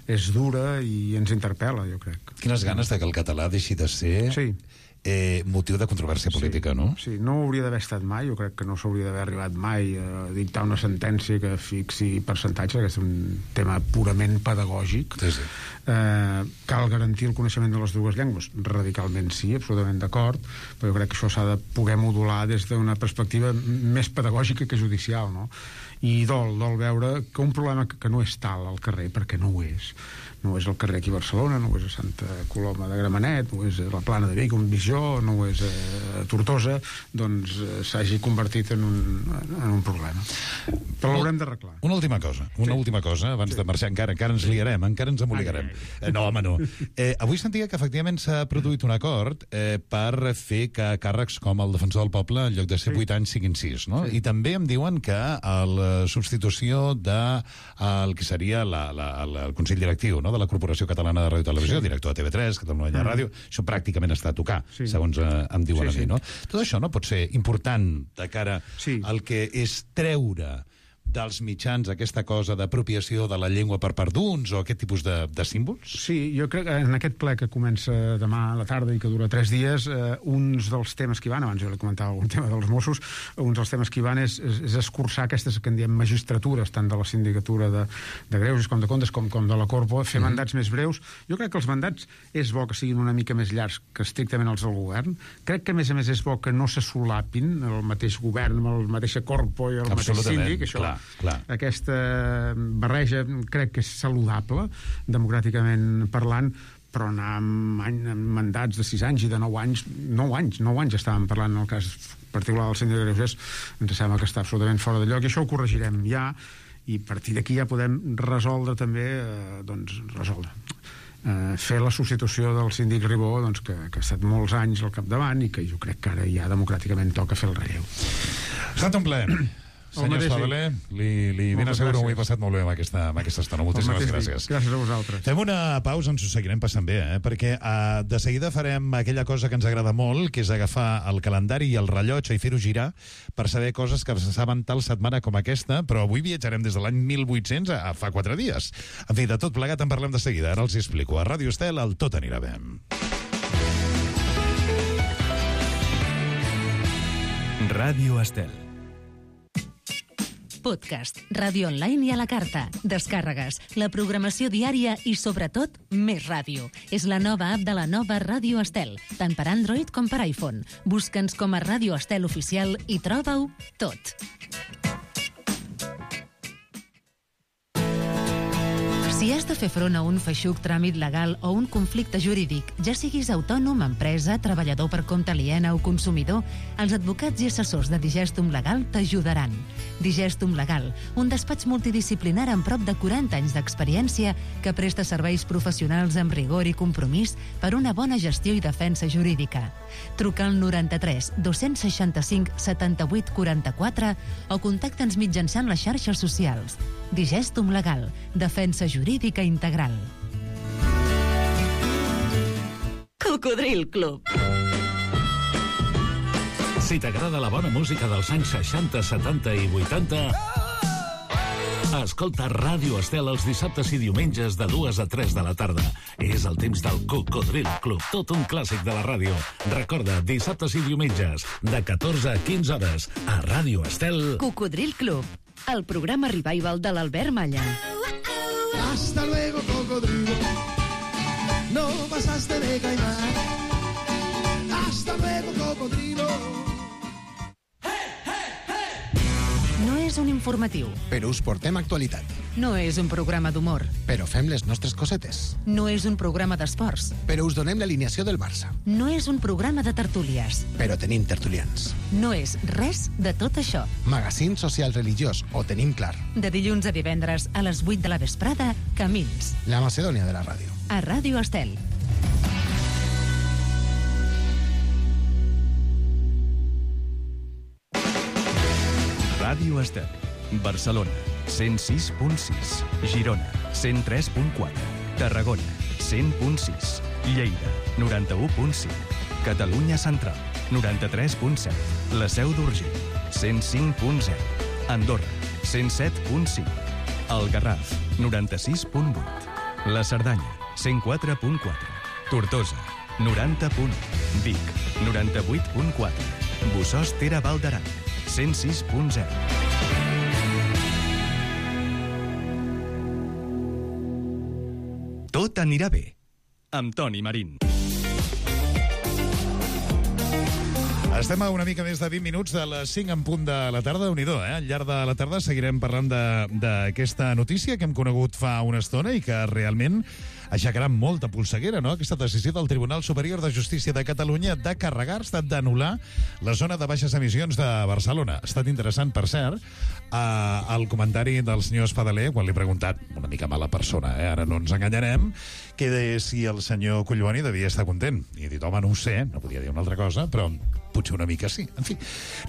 és dura i ens interpel·la, jo crec. Quines ganes de que el català deixi de ser motiu de controvèrsia política, no? Sí, no hauria d'haver estat mai, jo crec que no s'hauria d'haver arribat mai a dictar una sentència que fixi percentatge, que és un tema purament pedagògic. Sí. Cal garantir el coneixement de les dues llengües? Radicalment sí, absolutament d'acord, però jo crec que això s'ha de poder modular des d'una perspectiva més pedagògica que judicial, no? I dol veure que un problema que no és tal al carrer, perquè no ho és. No és el carrer aquí a Barcelona, no és a Santa Coloma de Gramenet, no és a la Plana de Vic, un Bijó, no és a Tortosa, doncs s'hagi convertit en un problema. Però l'haurem d'arreglar. Una última cosa, abans de marxar, encara ens liarem, encara ens emboligarem. No, home, no. Avui sentia que efectivament s'ha produït un acord per fer que càrrecs com el defensor del poble, en lloc de ser 8 anys, siguin 6, no? I també em diuen que la substitució del que seria el Consell Directiu, no?, de la Corporació Catalana de Ràdio i Televisió, director de TV3, Catalunya Ràdio, això pràcticament està a tocar, segons em diuen a mi, no? Tot això no pot ser important de cara al que és treure dels mitjans aquesta cosa d'apropiació de la llengua per part d'uns o aquest tipus de símbols? Sí, jo crec que en aquest ple que comença demà a la tarda i que dura 3 dies, uns dels temes que hi van, abans jo li comentava un tema dels Mossos, uns dels temes que hi van és escurçar aquestes que en diem magistratures, tant de la sindicatura de Greuges com de Comptes com de la Corpo, fer mandats més breus. Jo crec que els mandats és bo que siguin una mica més llargs que estrictament els del govern. Crec que a més és bo que no se solapin el mateix govern amb el mateix Corpo i el mateix síndic, això. Clar. Aquesta barreja crec que és saludable, democràticament parlant, però anar amb mandats de 6 anys i de 9 anys, 9 anys estàvem parlant en el cas particular del síndic de Greuges, ens sembla que està absolutament fora de lloc, i això ho corregirem ja, i a partir d'aquí ja podem resoldre també, fer la substitució del síndic Ribó, doncs, que ha estat molts anys al capdavant i que jo crec que ara ja democràticament toca fer el relleu. Ha estat un plaer. Senyor Espadaler, li ben asseguro que ho he passat molt bé amb aquesta estona. Moltíssimes gràcies. Gràcies a vosaltres. Fem una pausa, ens ho seguirem passant bé, perquè de seguida farem aquella cosa que ens agrada molt, que és agafar el calendari i el rellotge i fer-ho girar per saber coses que saben tal setmana com aquesta, però avui viatjarem des de l'any 1800 a fa 4 dies. En fi, de tot plegat en parlem de seguida. Ara els hi explico. A Ràdio Estel, el Tot anirà bé. Ràdio Estel. Podcast, ràdio online i a la carta, descàrregues, la programació diària i, sobretot, més ràdio. És la nova app de la nova Ràdio Estel, tant per Android com per iPhone. Busca'ns com a Ràdio Estel Oficial i troba-ho tot. Si has de fer front a un feixuc tràmit legal o un conflicte jurídic, ja siguis autònom, empresa, treballador per compte aliena o consumidor, els advocats i assessors de Digestum Legal t'ajudaran. Digestum Legal, un despatx multidisciplinar amb prop de 40 anys d'experiència que presta serveis professionals amb rigor i compromís per una bona gestió i defensa jurídica. Truca al 93 265 78 44 o contacta'ns mitjançant les xarxes socials. Digestum Legal, defensa jurídica integral. Cocodril Club. Si t'agrada la bona música dels anys 60, 70 i 80, escolta Ràdio Estel els dissabtes i diumenges de 2 a 3 de la tarda. És el temps del Cocodril Club, tot un clàssic de la ràdio. Recorda, dissabtes i diumenges, de 14 a 15 hores, a Ràdio Estel. Cocodril Club, el programa revival de l'Albert Malla. Hasta luego, cocodrilo. No pasaste de caimán. Hasta luego, cocodrilo. No és un informatiu. Però us portem actualitat. No és un programa d'humor. Però fem les nostres cosetes. No és un programa d'esports. Però us donem l'alineació del Barça. No és un programa de tertúlies. Però tenim tertulians. No és res de tot això. Magazín social religiós, ho tenim clar. De dilluns a divendres a les 8 de la vesprada, Camins. La Macedònia de la ràdio. A Ràdio Estel. Ràdio Estel. Barcelona, 106.6. Girona, 103.4. Tarragona, 100.6. Lleida, 91.5. Catalunya Central, 93.7. La Seu d'Urgell, 105.0. Andorra, 107.5. El Garraf, 96.8. La Cerdanya, 104.4. Tortosa, 90.1. Vic, 98.4. Bossòst Tere Valdaran, 106.0. Tot anirà bé, amb Toni Marín. Estem a una mica més de 20 minuts de les 5 en punt de la tarda. Déu-n'hi-do, eh? Al llarg de la tarda seguirem parlant d'aquesta notícia que hem conegut fa una estona i que realment aixecarà molta polseguera, no?, aquesta decisió del Tribunal Superior de Justícia de Catalunya de carregar-se, d'anul·lar la zona de baixes emissions de Barcelona. Ha estat interessant, per cert, el comentari del senyor Espadaler, quan li he preguntat, una mica mala persona, ara no ens enganyarem, que si el senyor Collboni devia estar content. I he dit, home, no ho sé, no podia dir una altra cosa, però potser una mica sí. En fi,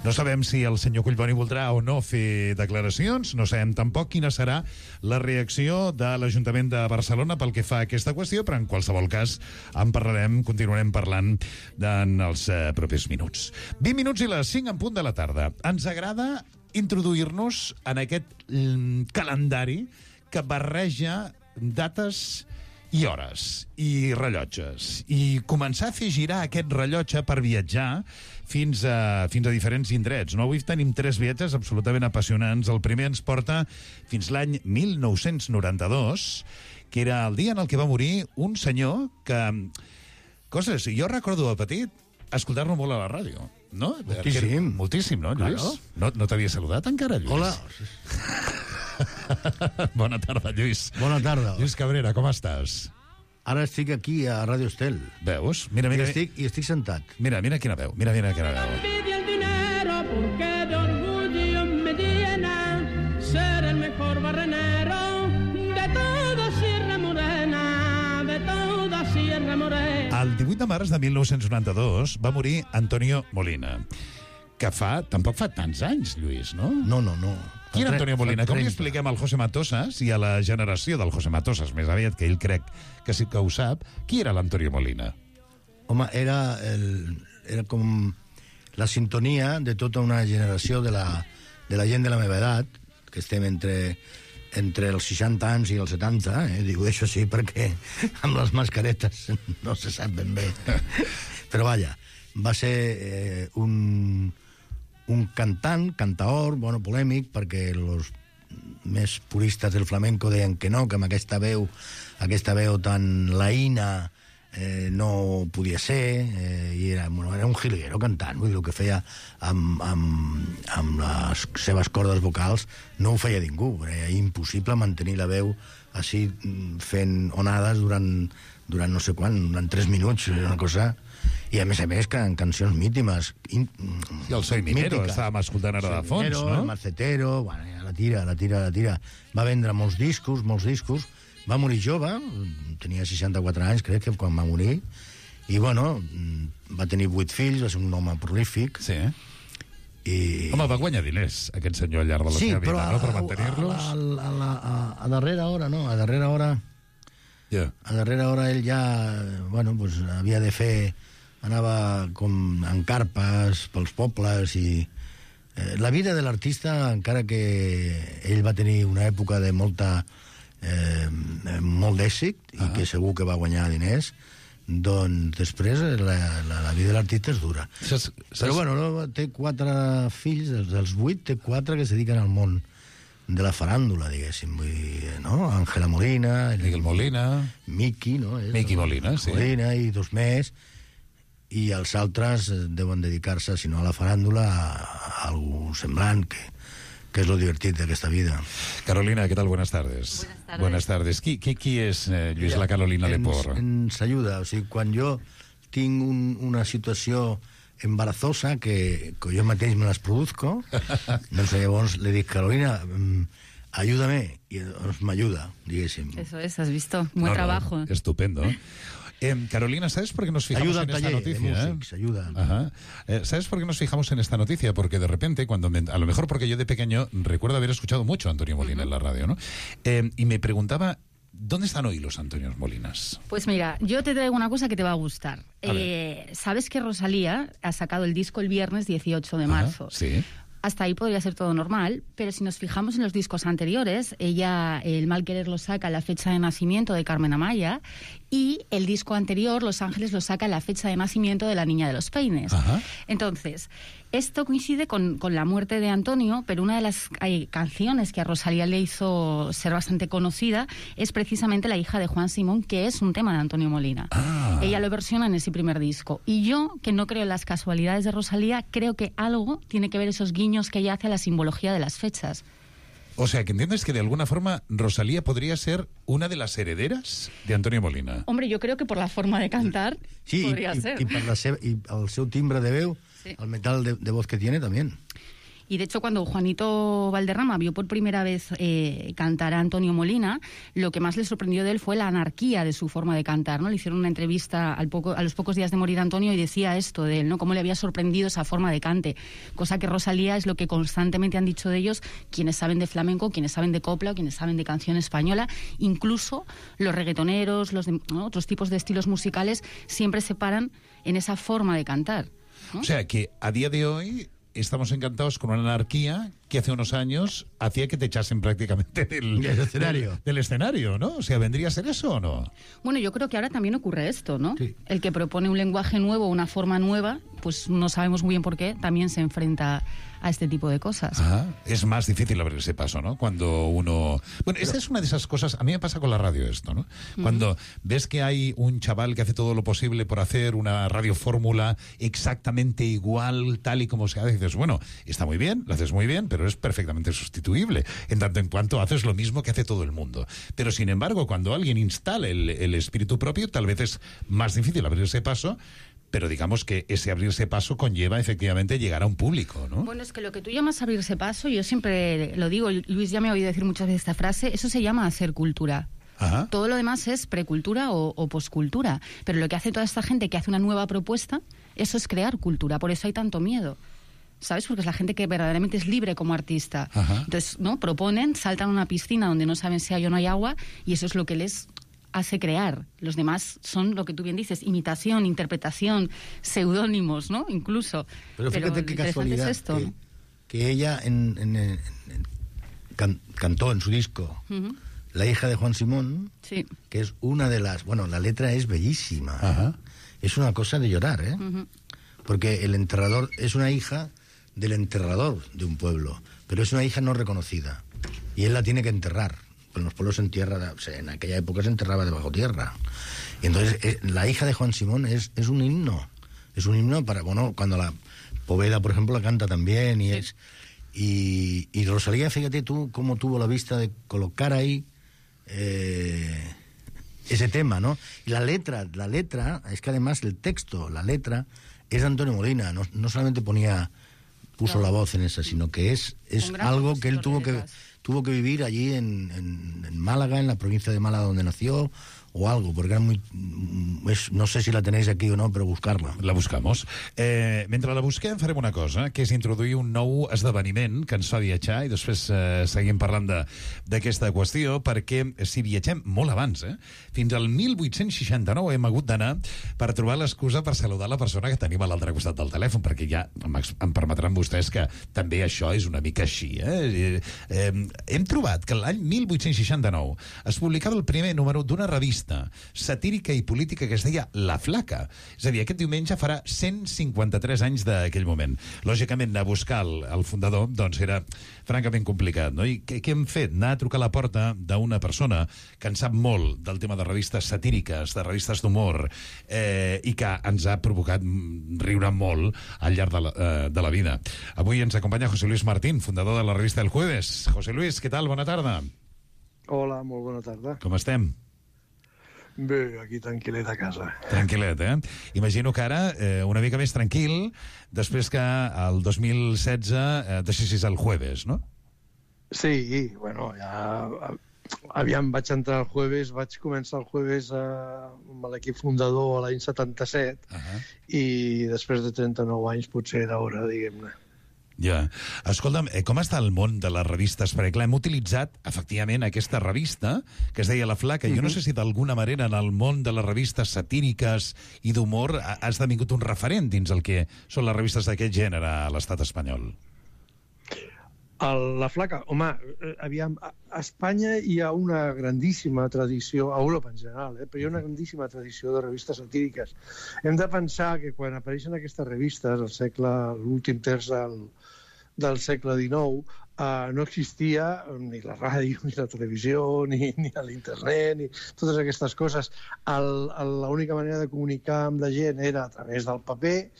no sabem si el senyor Collboni voldrà o no fer declaracions, no sabem tampoc quina serà la reacció de l'Ajuntament de Barcelona pel que fa a aquesta qüestió, però en qualsevol cas en parlarem, continuarem parlant en els propers minuts. 20 minuts i les 5 en punt de la tarda. Ens agrada introduir-nos en aquest calendari que barreja dates i hores, i rellotges, i començar a fer girar aquest rellotge per viatjar fins a diferents indrets. No? Avui tenim 3 viatges absolutament apassionants. El primer ens porta fins l'any 1992, que era el dia en el que va morir un senyor que... Coses, jo recordo de petit escoltar-lo molt a la ràdio, no? Moltíssim. Moltíssim, no, Lluís? Claro. No t'havia saludat encara, Lluís? Hola. Bona tarda, Lluís. Bona tarda. Lluís Cabrera, com estàs? Ara estic aquí a Ràdio Estel. Veus? Mira. I estic sentat. Mira quina veu. Mira quina veu. Envidia el dinero porque de orgullo me llena ser el mejor barrenero de toda Sierra Morena, de toda Sierra Morena. El 18 de març de 1992 va morir Antonio Molina, que tampoc fa tants anys, Lluís, no? No. Qui era Antonio Molina? Com li expliquem al José Matosas i a la generació del José Matosas, més aviat, que ell crec que sí que ho sap, qui era l'Antonio Molina? Home, era com la sintonia de tota una generació de la gent de la meva edat, que estem entre els 60 anys i els 70, digo això sí perquè amb les mascaretes no se sap ben bé. Però vaja, va ser un cantaor, bueno, polèmic, perquè els més puristes del flamenco deien que no, que amb aquesta veu tan laïna no podia ser, i era un jilguero cantant, vull dir, el que feia amb les seves cordes vocals no ho feia ningú, era impossible mantenir la veu així fent onades durant no sé quan, durant 3 minuts, una cosa... I a més que en cancions mítimes. I el Soy Minero, estàvem escoltant ara de fons, no? El Macetero, bueno, la tira. Va vendre molts discos. Va morir jove, tenia 64 anys, crec, que quan va morir. I, bueno, va tenir 8 fills, va ser un home prolífic. Sí. Home, va guanyar diners, aquest senyor, al llarg de la seva vida, no?, per mantenir-los. A darrera hora, no? A darrera hora ell ja, bueno, pues havia de fer... Anava com en carpes pels pobles i... La vida de l'artista, encara que ell va tenir una època de molt d'èxit i que segur que va guanyar diners, doncs després la vida de l'artista és dura. Però bueno, té 4 fills, dels 8 té 4 que es dediquen al món de la faràndula, diguéssim, no? Ángela Molina, Miguel Molina, Miki, no? Miki Molina, sí. Molina i 2 més, i els altres deuen dedicar-se, si no a la faràndula, a algú semblant, que és lo divertit d'aquesta vida. Carolina, ¿qué tal? Buenas tardes. Buenas tardes. Qui és Lluís la Carolina Lepor? Ens ajuda, o sigui, quan jo tinc una situació embarazosa que jo mateix me les produzco, doncs llavors le dic, Carolina, ayúdame, y m'ajuda, diguéssim. Eso es, has visto, buen trabajo. Estupendo. Carolina, ¿sabes por qué nos fijamos en esta noticia? ¿Sabes por qué nos fijamos en esta noticia? Porque de repente, a lo mejor porque yo de pequeño recuerdo haber escuchado mucho a Antonio Molina en la radio, ¿no? Y me preguntaba, ¿dónde están hoy los Antonios Molinas? Pues mira, yo te traigo una cosa que te va a gustar. ¿Sabes que Rosalía ha sacado el disco el viernes 18 de marzo? Sí. Hasta ahí podría ser todo normal, pero si nos fijamos en los discos anteriores, ella, El mal querer, lo saca a la fecha de nacimiento de Carmen Amaya, y el disco anterior, Los Ángeles, lo saca a la fecha de nacimiento de La niña de los peines. Entonces, Esto coincide con la muerte de Antonio, pero una de las canciones que a Rosalía le hizo ser bastante conocida es precisamente La hija de Juan Simón, que es un tema de Antonio Molina. Ella lo versiona en ese primer disco. Y yo, que no creo en las casualidades de Rosalía, creo que algo tiene que ver esos guiños que ella hace a la simbología de las fechas. O sea, que entiendes que de alguna forma Rosalía podria ser una de les herederes d'Antonio Molina. Hombre, yo creo que por la forma de cantar podría ser. Y el seu timbre de veu, el metal de voz que tiene también. Y de hecho, cuando Juanito Valderrama vio por primera vez cantar a Antonio Molina, lo que más le sorprendió de él fue la anarquía de su forma de cantar, ¿no? Le hicieron una entrevista a los pocos días de morir Antonio y decía esto de él, ¿no? Cómo le había sorprendido esa forma de cante. Cosa que Rosalía es lo que constantemente han dicho de ellos quienes saben de flamenco, quienes saben de copla o quienes saben de canción española. Incluso los reggaetoneros, ¿no? Otros tipos de estilos musicales siempre se paran en esa forma de cantar, ¿no? O sea, que a día de hoy estamos encantados con una anarquía que hace unos años hacía que te echasen prácticamente del escenario, ¿no? O sea, ¿vendría a ser eso o no? Bueno, yo creo que ahora también ocurre esto, ¿no? Sí. El que propone un lenguaje nuevo, una forma nueva, pues no sabemos muy bien por qué, también se enfrenta a este tipo de cosas. Es más difícil abrirse paso, ¿no? Cuando uno... Bueno, esta es una de esas cosas... A mí me pasa con la radio esto, ¿no? Cuando ves que hay un chaval que hace todo lo posible por hacer una radiofórmula exactamente igual, tal y como se hace, dices, bueno, está muy bien, lo haces muy bien, pero es perfectamente sustituible, en tanto en cuanto haces lo mismo que hace todo el mundo. Pero, sin embargo, cuando alguien instala el espíritu propio, tal vez es más difícil abrirse paso, pero digamos que ese abrirse paso conlleva efectivamente llegar a un público, ¿no? Bueno, es que lo que tú llamas abrirse paso, yo siempre lo digo, Luis ya me ha oído decir muchas veces esta frase, eso se llama hacer cultura. Todo lo demás es precultura o poscultura, pero lo que hace toda esta gente que hace una nueva propuesta, eso es crear cultura, por eso hay tanto miedo, ¿sabes? Porque es la gente que verdaderamente es libre como artista. Entonces, ¿no? Proponen, saltan a una piscina donde no saben si hay o no hay agua, y eso es lo que les hace crear. Los demás son lo que tú bien dices, imitación, interpretación, seudónimos, ¿no? Incluso. Pero fíjate qué casualidad es esto. Que ella cantó en su disco La hija de Juan Simón, que es una de las... Bueno, la letra es bellísima. Es una cosa de llorar, ¿eh? Porque el enterrador es una hija del enterrador de un pueblo, pero es una hija no reconocida. Y él la tiene que enterrar. En los pueblos se entierra, o sea, en aquella época se enterraba debajo tierra. Y entonces la hija de Juan Simón es un himno. Es un himno para, bueno, cuando la Poveda, por ejemplo, la canta también. Y Rosalía, fíjate tú cómo tuvo la vista de colocar ahí ese tema, ¿no? Y la letra, es que además el texto, la letra, es de Antonio Molina. No solamente puso la voz en esa, sino que es algo que él tuvo que vivir allí en Málaga, en la provincia de Málaga donde nació, o algo, porque era muy... no sé si la tenéis aquí o no, però buscar-la. La buscamos. Mentre la busquem farem una cosa, que és introduir un nou esdeveniment que ens fa viatjar, i després seguim parlant d'aquesta qüestió, perquè si viatgem molt abans, fins al 1869 hem hagut d'anar per trobar l'excusa per saludar la persona que tenim a l'altre costat del telèfon, perquè ja em permetran vostès que també això és una mica així. Hem trobat que l'any 1869 es publicava el primer número d'una revista satírica i política que es deia La Flaca. És a dir, aquest diumenge farà 153 anys d'aquell moment. Lògicament, anar a buscar el fundador doncs era francament complicat, no? I què hem fet? Anar a trucar a la porta d'una persona que en sap molt del tema de revistes satíriques, de revistes d'humor, i que ens ha provocat riure molt al llarg de la vida. Avui ens acompanya José Luis Martín, fundador de la revista El Jueves. José Luis, què tal? Bona tarda. Hola, molt bona tarda. Com estem? Bé, aquí tranquil·let a casa. Tranquil·let, Imagino que ara una mica més tranquil, després que el 2016 deixessis el Jueves, no? Sí, bueno, ja... Aviam, vaig entrar el Jueves, vaig començar el Jueves amb l'equip fundador l'any 77, i després de 39 anys potser era hora, diguem-ne. Ja. Escolta'm, com està el món de les revistes? Perquè, clar, hem utilitzat, efectivament, aquesta revista, que es deia La Flaca. Jo no sé si d'alguna manera en el món de les revistes satíriques i d'humor ha esdevingut un referent dins el que són les revistes d'aquest gènere a l'estat espanyol. La flaca, home, aviam, a Espanya hi ha una grandíssima tradició, a Europa en general, però hi ha una grandíssima tradició de revistes satíriques. Hem de pensar que quan apareixen aquestes revistes, l'últim terç del segle XIX, no existia ni la ràdio, ni la televisió, ni l'internet, ni totes aquestes coses. L'única manera de comunicar amb la gent era a través del paper,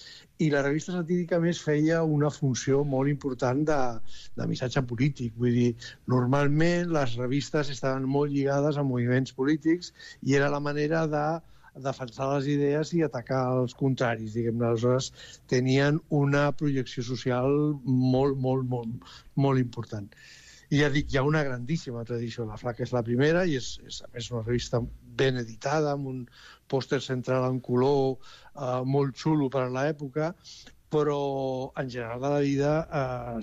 i la revista satírica més feia una funció molt important de missatge polític. Vull dir, normalment les revistes estaven molt lligades a moviments polítics i era la manera de defensar les idees i atacar els contraris, diguem-ne. Aleshores, tenien una projecció social molt, molt, molt, molt important. I ja dic, hi ha una grandíssima tradició. La Flaca és la primera i és a més una revista ben editada, amb un pòster central en color molt xulo per a l'època, però en general de la vida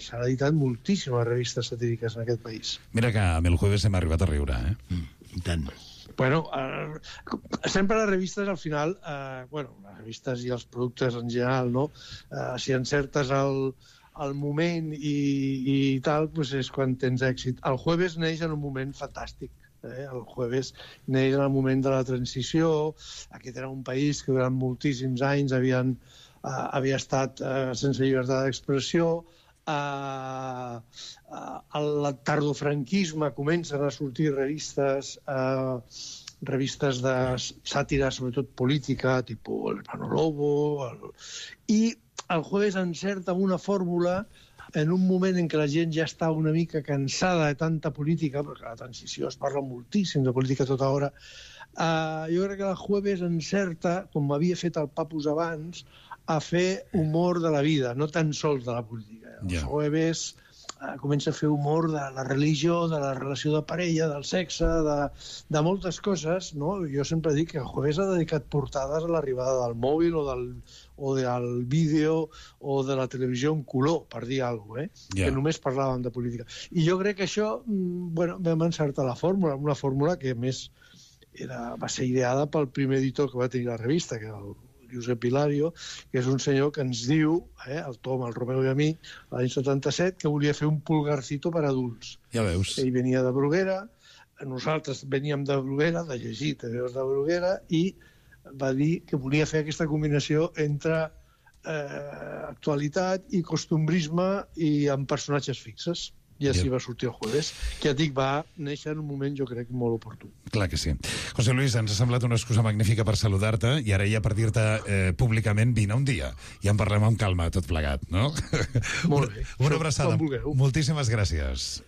s'han editat moltíssimes revistes satíriques en aquest país. Mira que amb el Jueves hem arribat a riure, I tant. Bueno, sempre les revistes al final, les revistes i els productes en general, no? Si encertes el moment i tal, doncs és quan tens èxit. El Jueves neix en un moment fantàstic. El Jueves neix en el moment de la transició. Aquest era un país que durant moltíssims anys havia estat sense llibertat d'expressió. El tardofranquisme comencen a sortir revistes de sàtira, sobretot política, tipus el Hermano Lobo, i el Jueves encerta una fórmula en un moment en què la gent ja està una mica cansada de tanta política, perquè a la transició es parla moltíssim de política tota hora. Jo crec que el Jueves encerta, com havia fet el Papus abans, a fer humor de la vida, no tan sols de la política. El Jueves comença a fer humor de la religió, de la relació de parella, del sexe, de moltes coses, no? Jo sempre dic que el Jueves ha dedicat portades a l'arribada del mòbil o del vídeo o de la televisió en color, per dir alguna cosa, que només parlàvem de política. I jo crec que això, vam encertar la fórmula, una fórmula que, a més, va ser ideada pel primer editor que va tenir la revista, que era el Josep Hilario, que és un senyor que ens diu, el Tom, el Romeu i a mi, l'any 77, que volia fer un pulgarcito per adults. Ja veus. Ell venia de Bruguera, nosaltres veníem de Bruguera, de llegir TVOs de Bruguera, i va dir que volia fer aquesta combinació entre actualitat i costumbrisme i amb personatges fixes. I així va sortir el Jueves, que ja dic, va néixer en un moment, jo crec, molt oportú. Clar que sí. José Luis, ens ha semblat una excusa magnífica per saludar-te i ara ja per dir-te públicament vine un dia i en parlem amb calma tot plegat, no? Molt bé. Una abraçada. Moltíssimes gràcies.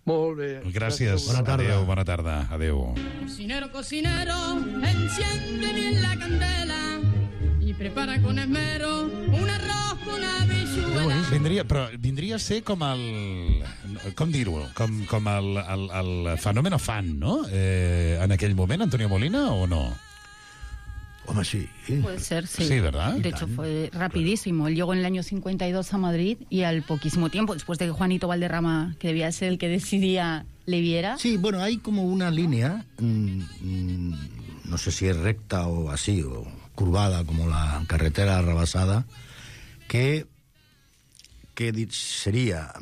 Molt bé. Gràcies. Bona tarda. Adéu, bona tarda. Adéu. Cocinero, cocinero, enciende bien la candela y prepara con esmero un arroz con habichuela. Vindria a ser com el... Com dir-ho? Com el fenómeno fan, ¿no? En aquell moment, Antonio Molina, o no? Hombre, sí. Puede ser, sí. Sí, ¿verdad? De hecho, fue rapidísimo. Él llegó en el año 52 a Madrid y al poquísimo tiempo, después de que Juanito Valderrama, que debía ser el que decidía, le viera... Sí, bueno, hay como una línea, no sé si es recta o así, o curvada, como la carretera rebasada, que sería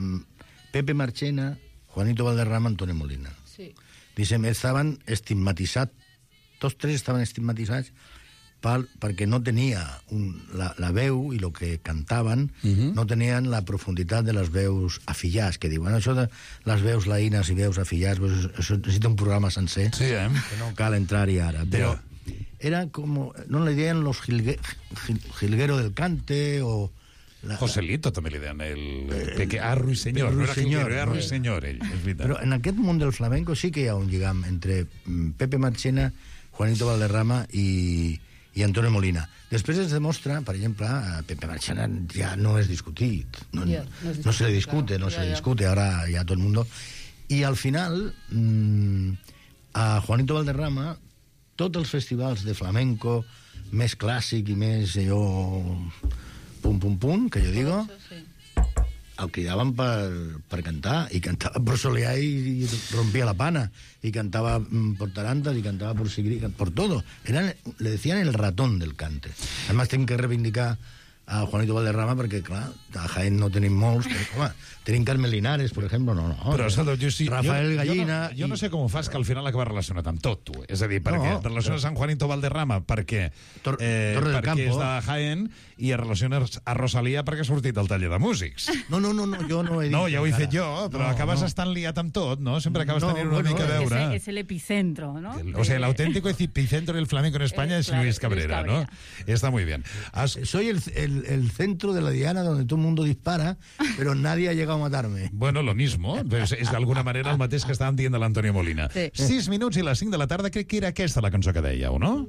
Pepe Marchena, Juanito Valderrama, Antonio Molina. Sí. Dicen, estaven estigmatitzats, tots tres estaven estigmatitzats perquè no tenia la veu i el que cantaven no tenien la profunditat de les veus afillats, que diuen això de les veus laïnes i veus afillats, pues, això necessita un programa sencer, sí, que no cal entrar-hi ara, però era com, no le deien los jilguero del cante o... Joselito també li deien el Ruiseñor, no era jilguero, era Ruiseñor, ell, és veritat. Però en aquest món del flamenco sí que hi ha un lligam entre Pepe Marchena, Juanito Valderrama i Antonio Molina. Després es demostra, per exemple, Pepe Marchena ja no és discutit, no se le discute, no se le discute, ahora ya todo el mundo. Y al final, a Juanito Valderrama, tots els festivals de flamenco més clàssic i més allò pum, que jo digo, el cridaven per cantar, i cantava por soleá y rompía la pana, y cantaba por tarantas, y cantaba por todo. Le decían el ratón del cante. Además, tengo que reivindicar a Juanito Valderrama, perquè, clar, a Jaén no tenim molts, però, home, tenim Carmen Linares, per exemple, no. Però, escolta, Rafael Gallina... Jo no sé com ho fas, que al final acaba relacionat amb tot, tu. És a dir, perquè relaciones amb Juanito Valderrama perquè és de Jaén i relaciones a Rosalía perquè ha sortit del taller de músics. No, jo no he dit... No, ja ho he fet jo, però acabes estant liat amb tot, no? Sempre acabes tenint una mica a veure. Es el epicentro, ¿no? O sea, el auténtico epicentro del flamenco en España es Luis Cabrera, ¿no? Está muy bien. Soy el centro de la diana donde todo el mundo dispara, pero nadie ha llegado a matarme. Bueno, lo mismo. És d'alguna manera el mateix que estàvem dient de l'Antonio Molina. Sí. 6 minuts i les 5 de la tarda, crec que era aquesta la cançó que dèieu, no?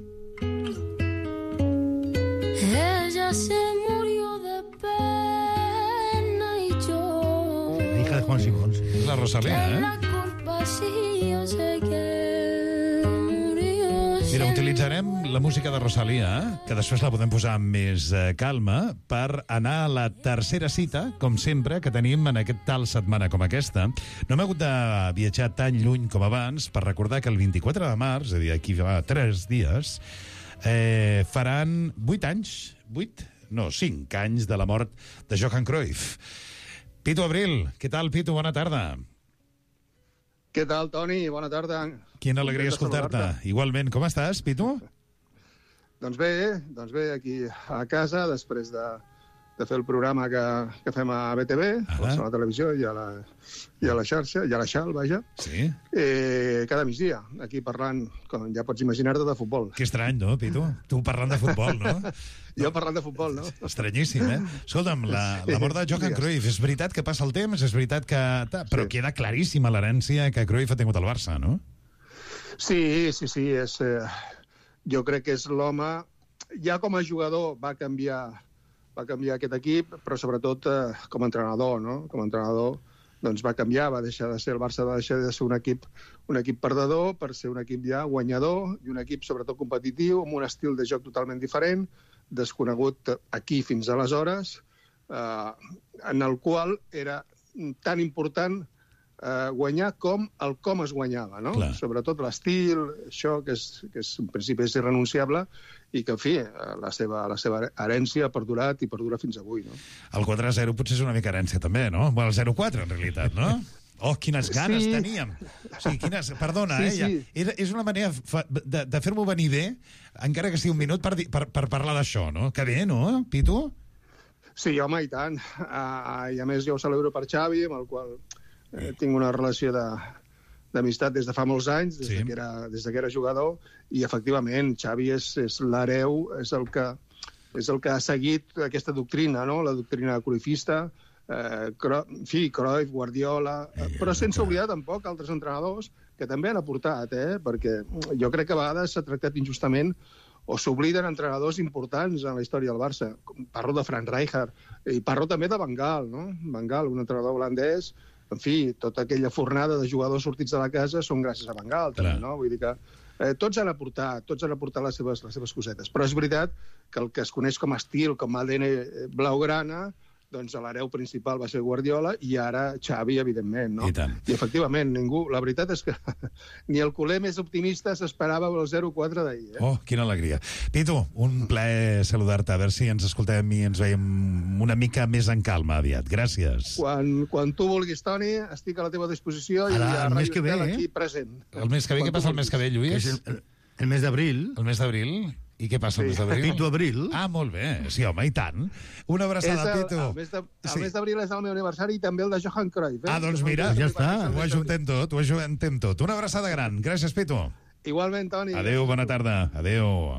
Ella se murió de pena y yo. La hija de Juan Simón. És la Rosalía, La culpa sí, yo sé que murió. Mira, utilitzarem la música de Rosalía, que després la podem posar amb més calma, per anar a la tercera cita, com sempre, que tenim en aquest tal setmana com aquesta. No hem hagut de viatjar tan lluny com abans per recordar que el 24 de març, és a dir, aquí va 3 dies, faran 8 anys, 5 anys de la mort de Johan Cruyff. Pitu Abril, què tal, Pitu? Bona tarda. Què tal, Toni? Bona tarda. Quina alegria escoltar-te. Igualment, com estàs, Pitu? Doncs bé, aquí a casa, després de fer el programa que fem a BTV, a la televisió i a la xarxa, i a la xal, vaja. Sí. Cada migdia, aquí parlant, com ja pots imaginar-te, de futbol. Que estrany, no, Pitu? Tu parlant de futbol, no? Jo parlant de futbol, no? Estranyíssim, eh? Escolta'm, la mort de Johan Cruyff, és veritat que passa el temps, és veritat que... Però queda claríssima l'herència que Cruyff ha tingut al Barça, no? Sí, és... Jo crec que és l'home... Ja com a jugador va canviar aquest equip, però sobretot com a entrenador, no? Com a entrenador doncs va canviar, va deixar de ser el Barça, va deixar de ser un equip perdedor per ser un equip ja guanyador i un equip sobretot competitiu, amb un estil de joc totalment diferent, desconegut aquí fins aleshores, en el qual era tan important guanyar com es guanyava, no? Clar. Sobretot l'estil, això que en principi és irrenunciable i que, en fi, la seva herència ha perdurat i perdura fins avui, no? El 4-0 potser és una mica herència també, no? Bueno, el 0-4, en realitat, no? Oh, quines ganes teníem! O sigui, perdona, sí. És una manera de fer-m'ho venir bé, encara que sigui un minut, per parlar d'això, no? Que bé, no, Pitu? Sí, home, i tant. I a més jo ho celebro per Xavi, amb el qual tinc una relació d'amistat des de fa molts anys, des de que era jugador, i efectivament Xavi és l'hereu, és el que ha seguit aquesta doctrina, no? La doctrina cruyffista, Cruyff, Guardiola, però sense oblidar tampoc altres entrenadors que també han aportat, perquè jo crec que a vegades s'ha tractat injustament o s'obliden entrenadors importants en la història del Barça. Parlo de Frank Rijkaard i parlo també de Van Gaal, no? Van Gaal, un entrenador holandès. En fi, tota aquella fornada de jugadors sortits de la casa són gràcies a Van Gaal, també, no? Vull dir que tots han aportat les seves cosetes. Però és veritat que el que es coneix com a estil, com a ADN blaugrana, doncs l'hereu principal va ser Guardiola i ara Xavi, evidentment, no? I efectivament, la veritat és que ni el culer més optimista s'esperava el 0-4 d'ahir. Oh, quina alegria. Pitu, un plaer saludar-te, a veure si ens escoltem i ens veiem una mica més en calma aviat. Gràcies. Quan tu vulguis, Toni, estic a la teva disposició i a Ràdio Estel aquí present. El mes que ve, què passa el mes que ve, Lluís? El mes d'abril. El mes d'abril? I què passa el mes d'abril? Pitu Abril. Ah, molt bé. Sí, home, i tant. Una abraçada, Pitu. El mes d'abril és el meu aniversari i també el de Johan Cruyff. Ah, doncs mira, ja està. Ho ajuntem tot. Una abraçada gran. Gràcies, Pitu. Igualment, Toni. Adéu, bona tarda. Adéu.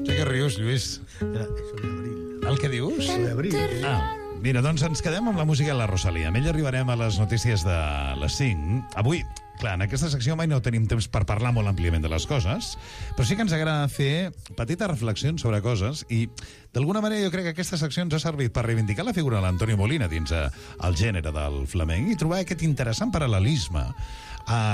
Ja que rius, Lluís. El que dius? D'abril. Ah, mira, doncs ens quedem amb la música de la Rosalía. Amb ella arribarem a les notícies de les 5. Avui, clar, en aquesta secció mai no tenim temps per parlar molt àmpliament de les coses, però sí que ens agrada fer petites reflexions sobre coses i, d'alguna manera, jo crec que aquesta secció ens ha servit per reivindicar la figura de l'Antonio Molina dins el gènere del flamenc i trobar aquest interessant paral·lelisme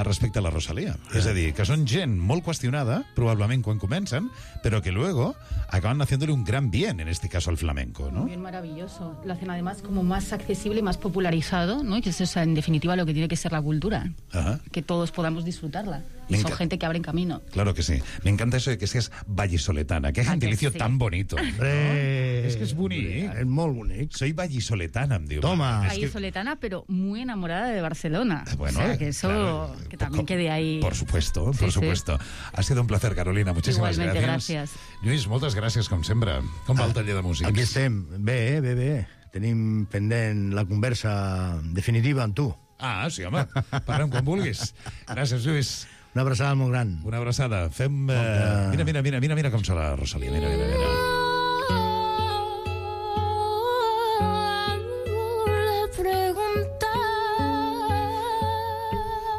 respecte a la Rosalía. És a dir, que són gent molt qüestionada, probablement quan comencen, pero que luego acaban haciéndole un gran bien, en este caso al flamenco, ¿no? Bien maravilloso. Lo hacen además como más accesible y más popularizado, ¿no? Y que eso es en definitiva lo que tiene que ser la cultura. Ajá. Que todos podamos disfrutarla. Y son gente que abren camino. Claro que sí. Me encanta eso de que seas vallisoletana. Qué gentilicio tan bonito. ¿No? Es que es bonic. Es molt bonic. Soy vallisoletana, em diu. Toma. Vallisoletana, pero muy enamorada de Barcelona. Bueno, o sea, que eso, claro, que también quede ahí. Por supuesto, Sí, por supuesto. Ha sido un placer, Carolina. Muchísimas Igualmente, gracias. gràcies. Lluís, moltes gràcies, com sempre. Com va el taller de músics? Aquí estem. Bé, bé, bé. Tenim pendent la conversa definitiva amb tu. Ah, sí, home. Parlem quan vulguis. Gràcies, Lluís. Una abraçada molt gran. Una abraçada. Fem... Mira com se la Rosalía. Mira.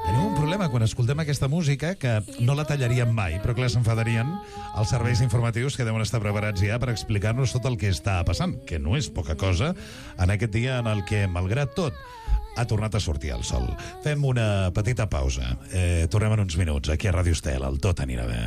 Tenim un problema quan escoltem aquesta música, que no la tallaríem mai, però clar, s'enfadarien els serveis informatius que deuen estar preparats ja per explicar-nos tot el que està passant, que no és poca cosa, en aquest dia en el que, malgrat tot, ha tornat a sortir el sol. Fem una petita pausa. Tornem en uns minuts aquí a Ràdio Estel. El Tot anirà bé.